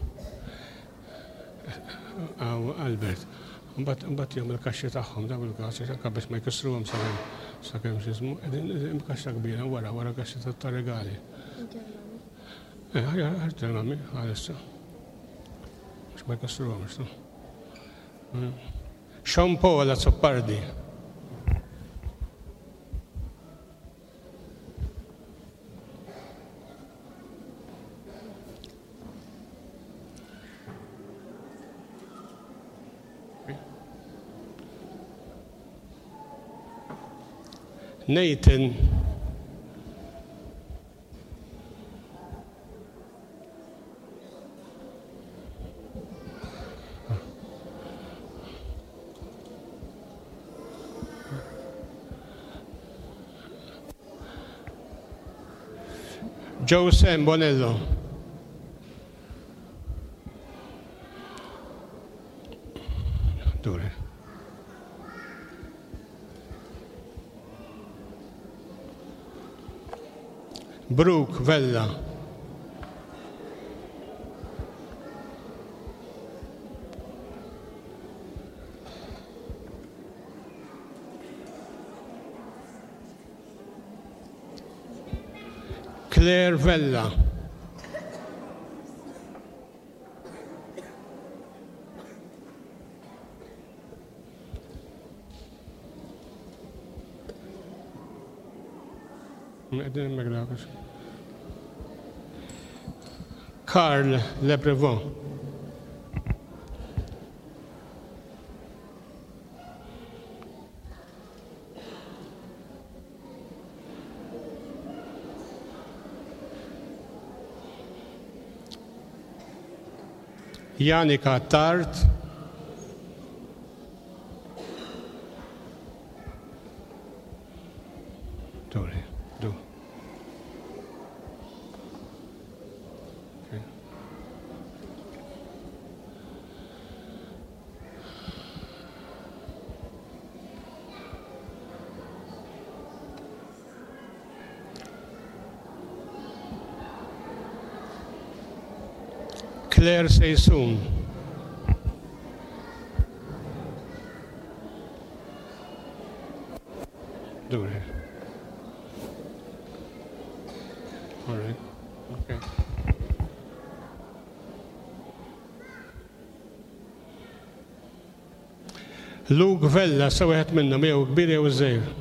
Aw, Albert. Mbagħad mbagħad jom il-kaxxi tagħhom daw il-kaxxi anke biex ma jkissruhom sakemm sakemm x'ismu, qegħdin kaxxa kbira wara wara kaxxa ta' regali. Eh, ħajja ħarġ mami għalissa. Biex ma jkissruhom, x'tu. Sean Paul Azzopardi. Nathan. Jose Bonello. Dure. Brooke Vella. Claire Vella. Carl Leprevon. Janika Tart. Dore, do. Okay. Claire Seysoun. Dure. All right. Okay. Luke Vella, sa wieħed minnhom jew kbir jew żgħir.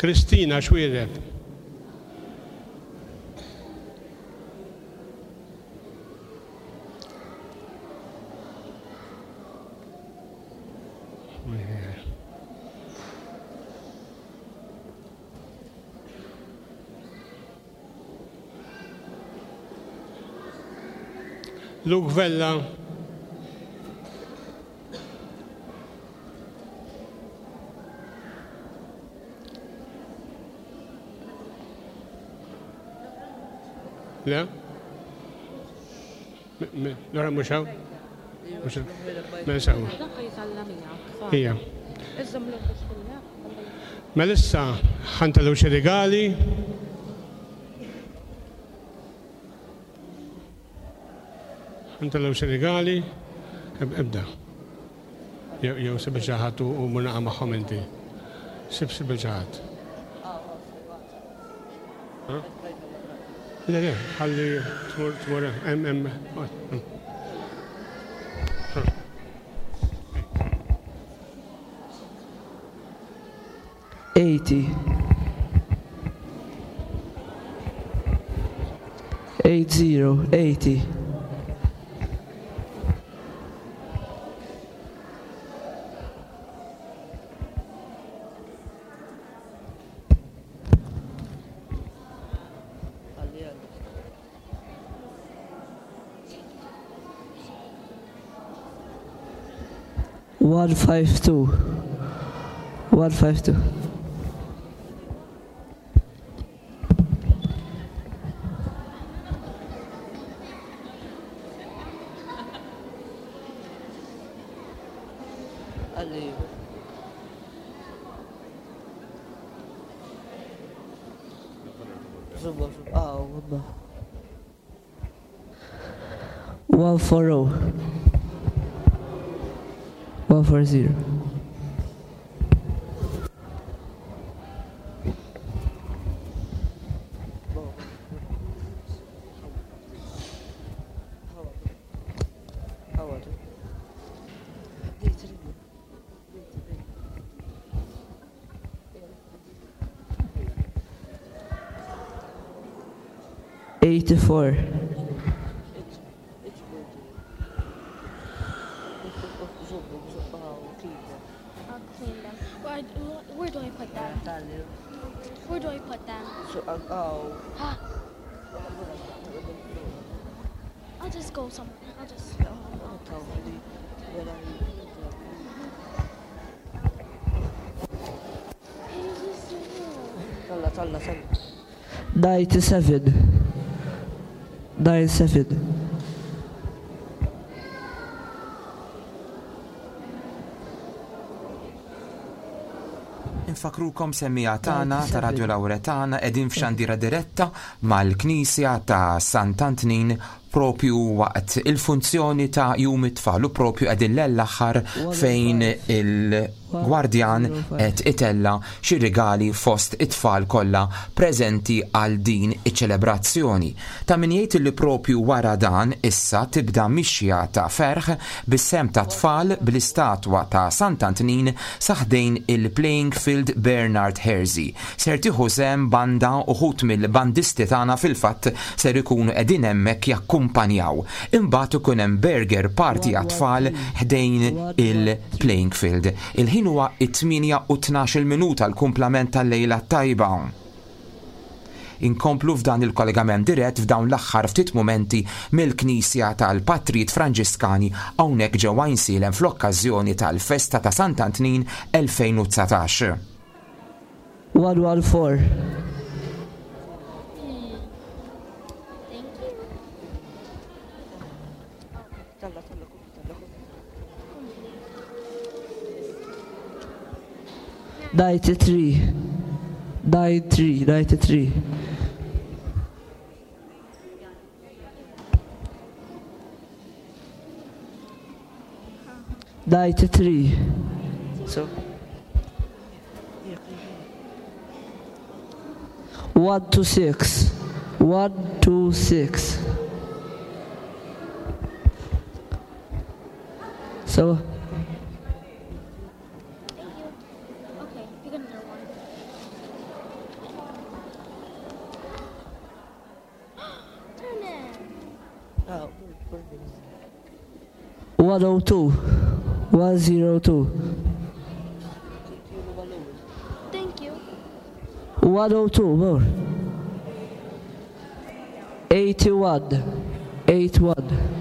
Kristina Xwireb. Luke Vella. Le? Lora mhux hawn? Mhux hawn. Mela sewwa. Ija. Mela issa ħa ntellgħu xi rigali. Ħa ntellgħu xi rigali. Ibda. Jew sib xi ħadd u mur naqa' magħhom inti. Sib sib xi ħadd. Le, le, ħalli tmur tmur hemm hemm. Eighty. Eight zero, eighty. One five two. One five two. One four oh. One four zero. Eighty-four. I'll clean them. Where, where do I put them? Where do I put them? I'll just go somewhere. I'll just go. Ninety-seven. Nine seven. Infakrukom semmiegħa tagħna ta' Radio Lauretana qegħdin f'xandira diretta mal-Knisja ta' Sant'Antnin propju waqt il-funzjoni ta' Jum it-Tfal u propju qegħdin l-aħħar fejn il-gwardjan qed itella xi rigali fost it-tfal kollha preżenti għal din iċ-ċelebrazzjoni. Ta' min jgħid li propju wara dan issa tibda mixja ta' ferħ bis-sem ta' tfal bl-istatwa ta' Sant'Antnin saħdejn il-Playing Field Bernard Hersey. Ser tieħu sehem banda uħut mill-bandisti tagħna fil-fatt ser ikunu qegħdin hemmhekk jakkumpanjaw. Imbagħad ikun hemm burger party għat-tfal ħdejn il-Playing Field. Il-ħin huwa it-tmienja u tnax-il minuta l-kumplament tal-lejla tajba. Inkomplu f'dan il-kollegament dirett f'dawn l-aħħar ftit mumenti mill-Knisja tal-Patrijiet Franġiskani hawnhekk ġewwa Għajnsielem fl-okkażjoni tal-festa ta' Sant'Antnin elfejn u dsatax. One one four. Ninety-three, nine three, ninety-three. Ninety-three. So one two six, one two six. So. One oh two, one zero two. Thank you. One oh two more. Eighty-one, eight one.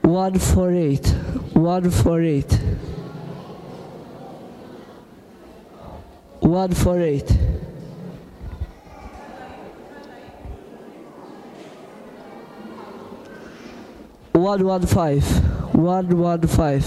One four eight, one four eight, one four eight. One one five, one one five.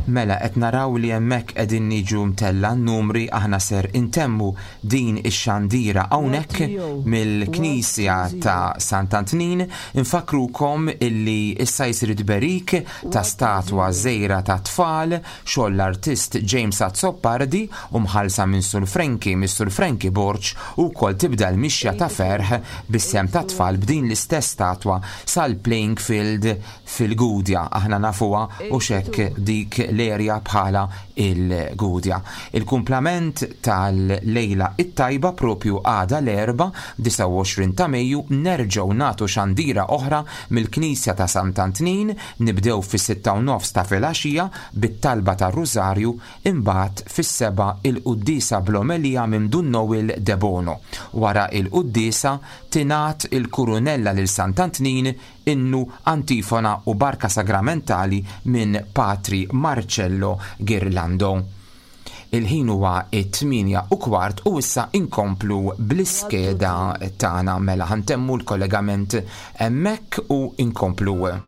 Mela qed naraw li hemmhekk qegħdin niġu mtella n-numri aħna ser intemmu din ix-xandira hawnhekk mill-Knisja ta' Sant'Antnin. Infakrukom illi issa jsir tberik ta' statwa żgħira ta' tfal xogħol l-artist James Azzopardi u mħallsa minn Sur Frankie, Mr Frankie Borg, u wkoll tibda l-mixja ta' ferħ bis-sem ta' tfal b'din l-istess statwa sal-playing field fil-Gudja. Aħna nafuha u xekk dik l-erja bħala il-Gudja. Il-kumplament tal-lejla it-tajba propju għada l-Erbgħa disgħa u għoxrin ta' Mejju nerġgħu nagħtu xandira oħra mill-Knisja ta' Sant'Antnin, nibdew fis-sitta u nofs ta' filgħaxija bit-talba tar-Rużarju, imbagħad fis-seba' il-quddiesa bl-omelija minn Dun Noel Debono. Wara il-quddiesa tingħat il-kurunella lil Sant'Antnin, innu, antifona u barka sagramentali minn Patri Marcello Girlando. Il-ħin huwa it-tmienja u kwart u issa inkomplu bl-iskeda tagħna. Mela ħantemmu l-kollegament hemmhekk u inkomplu.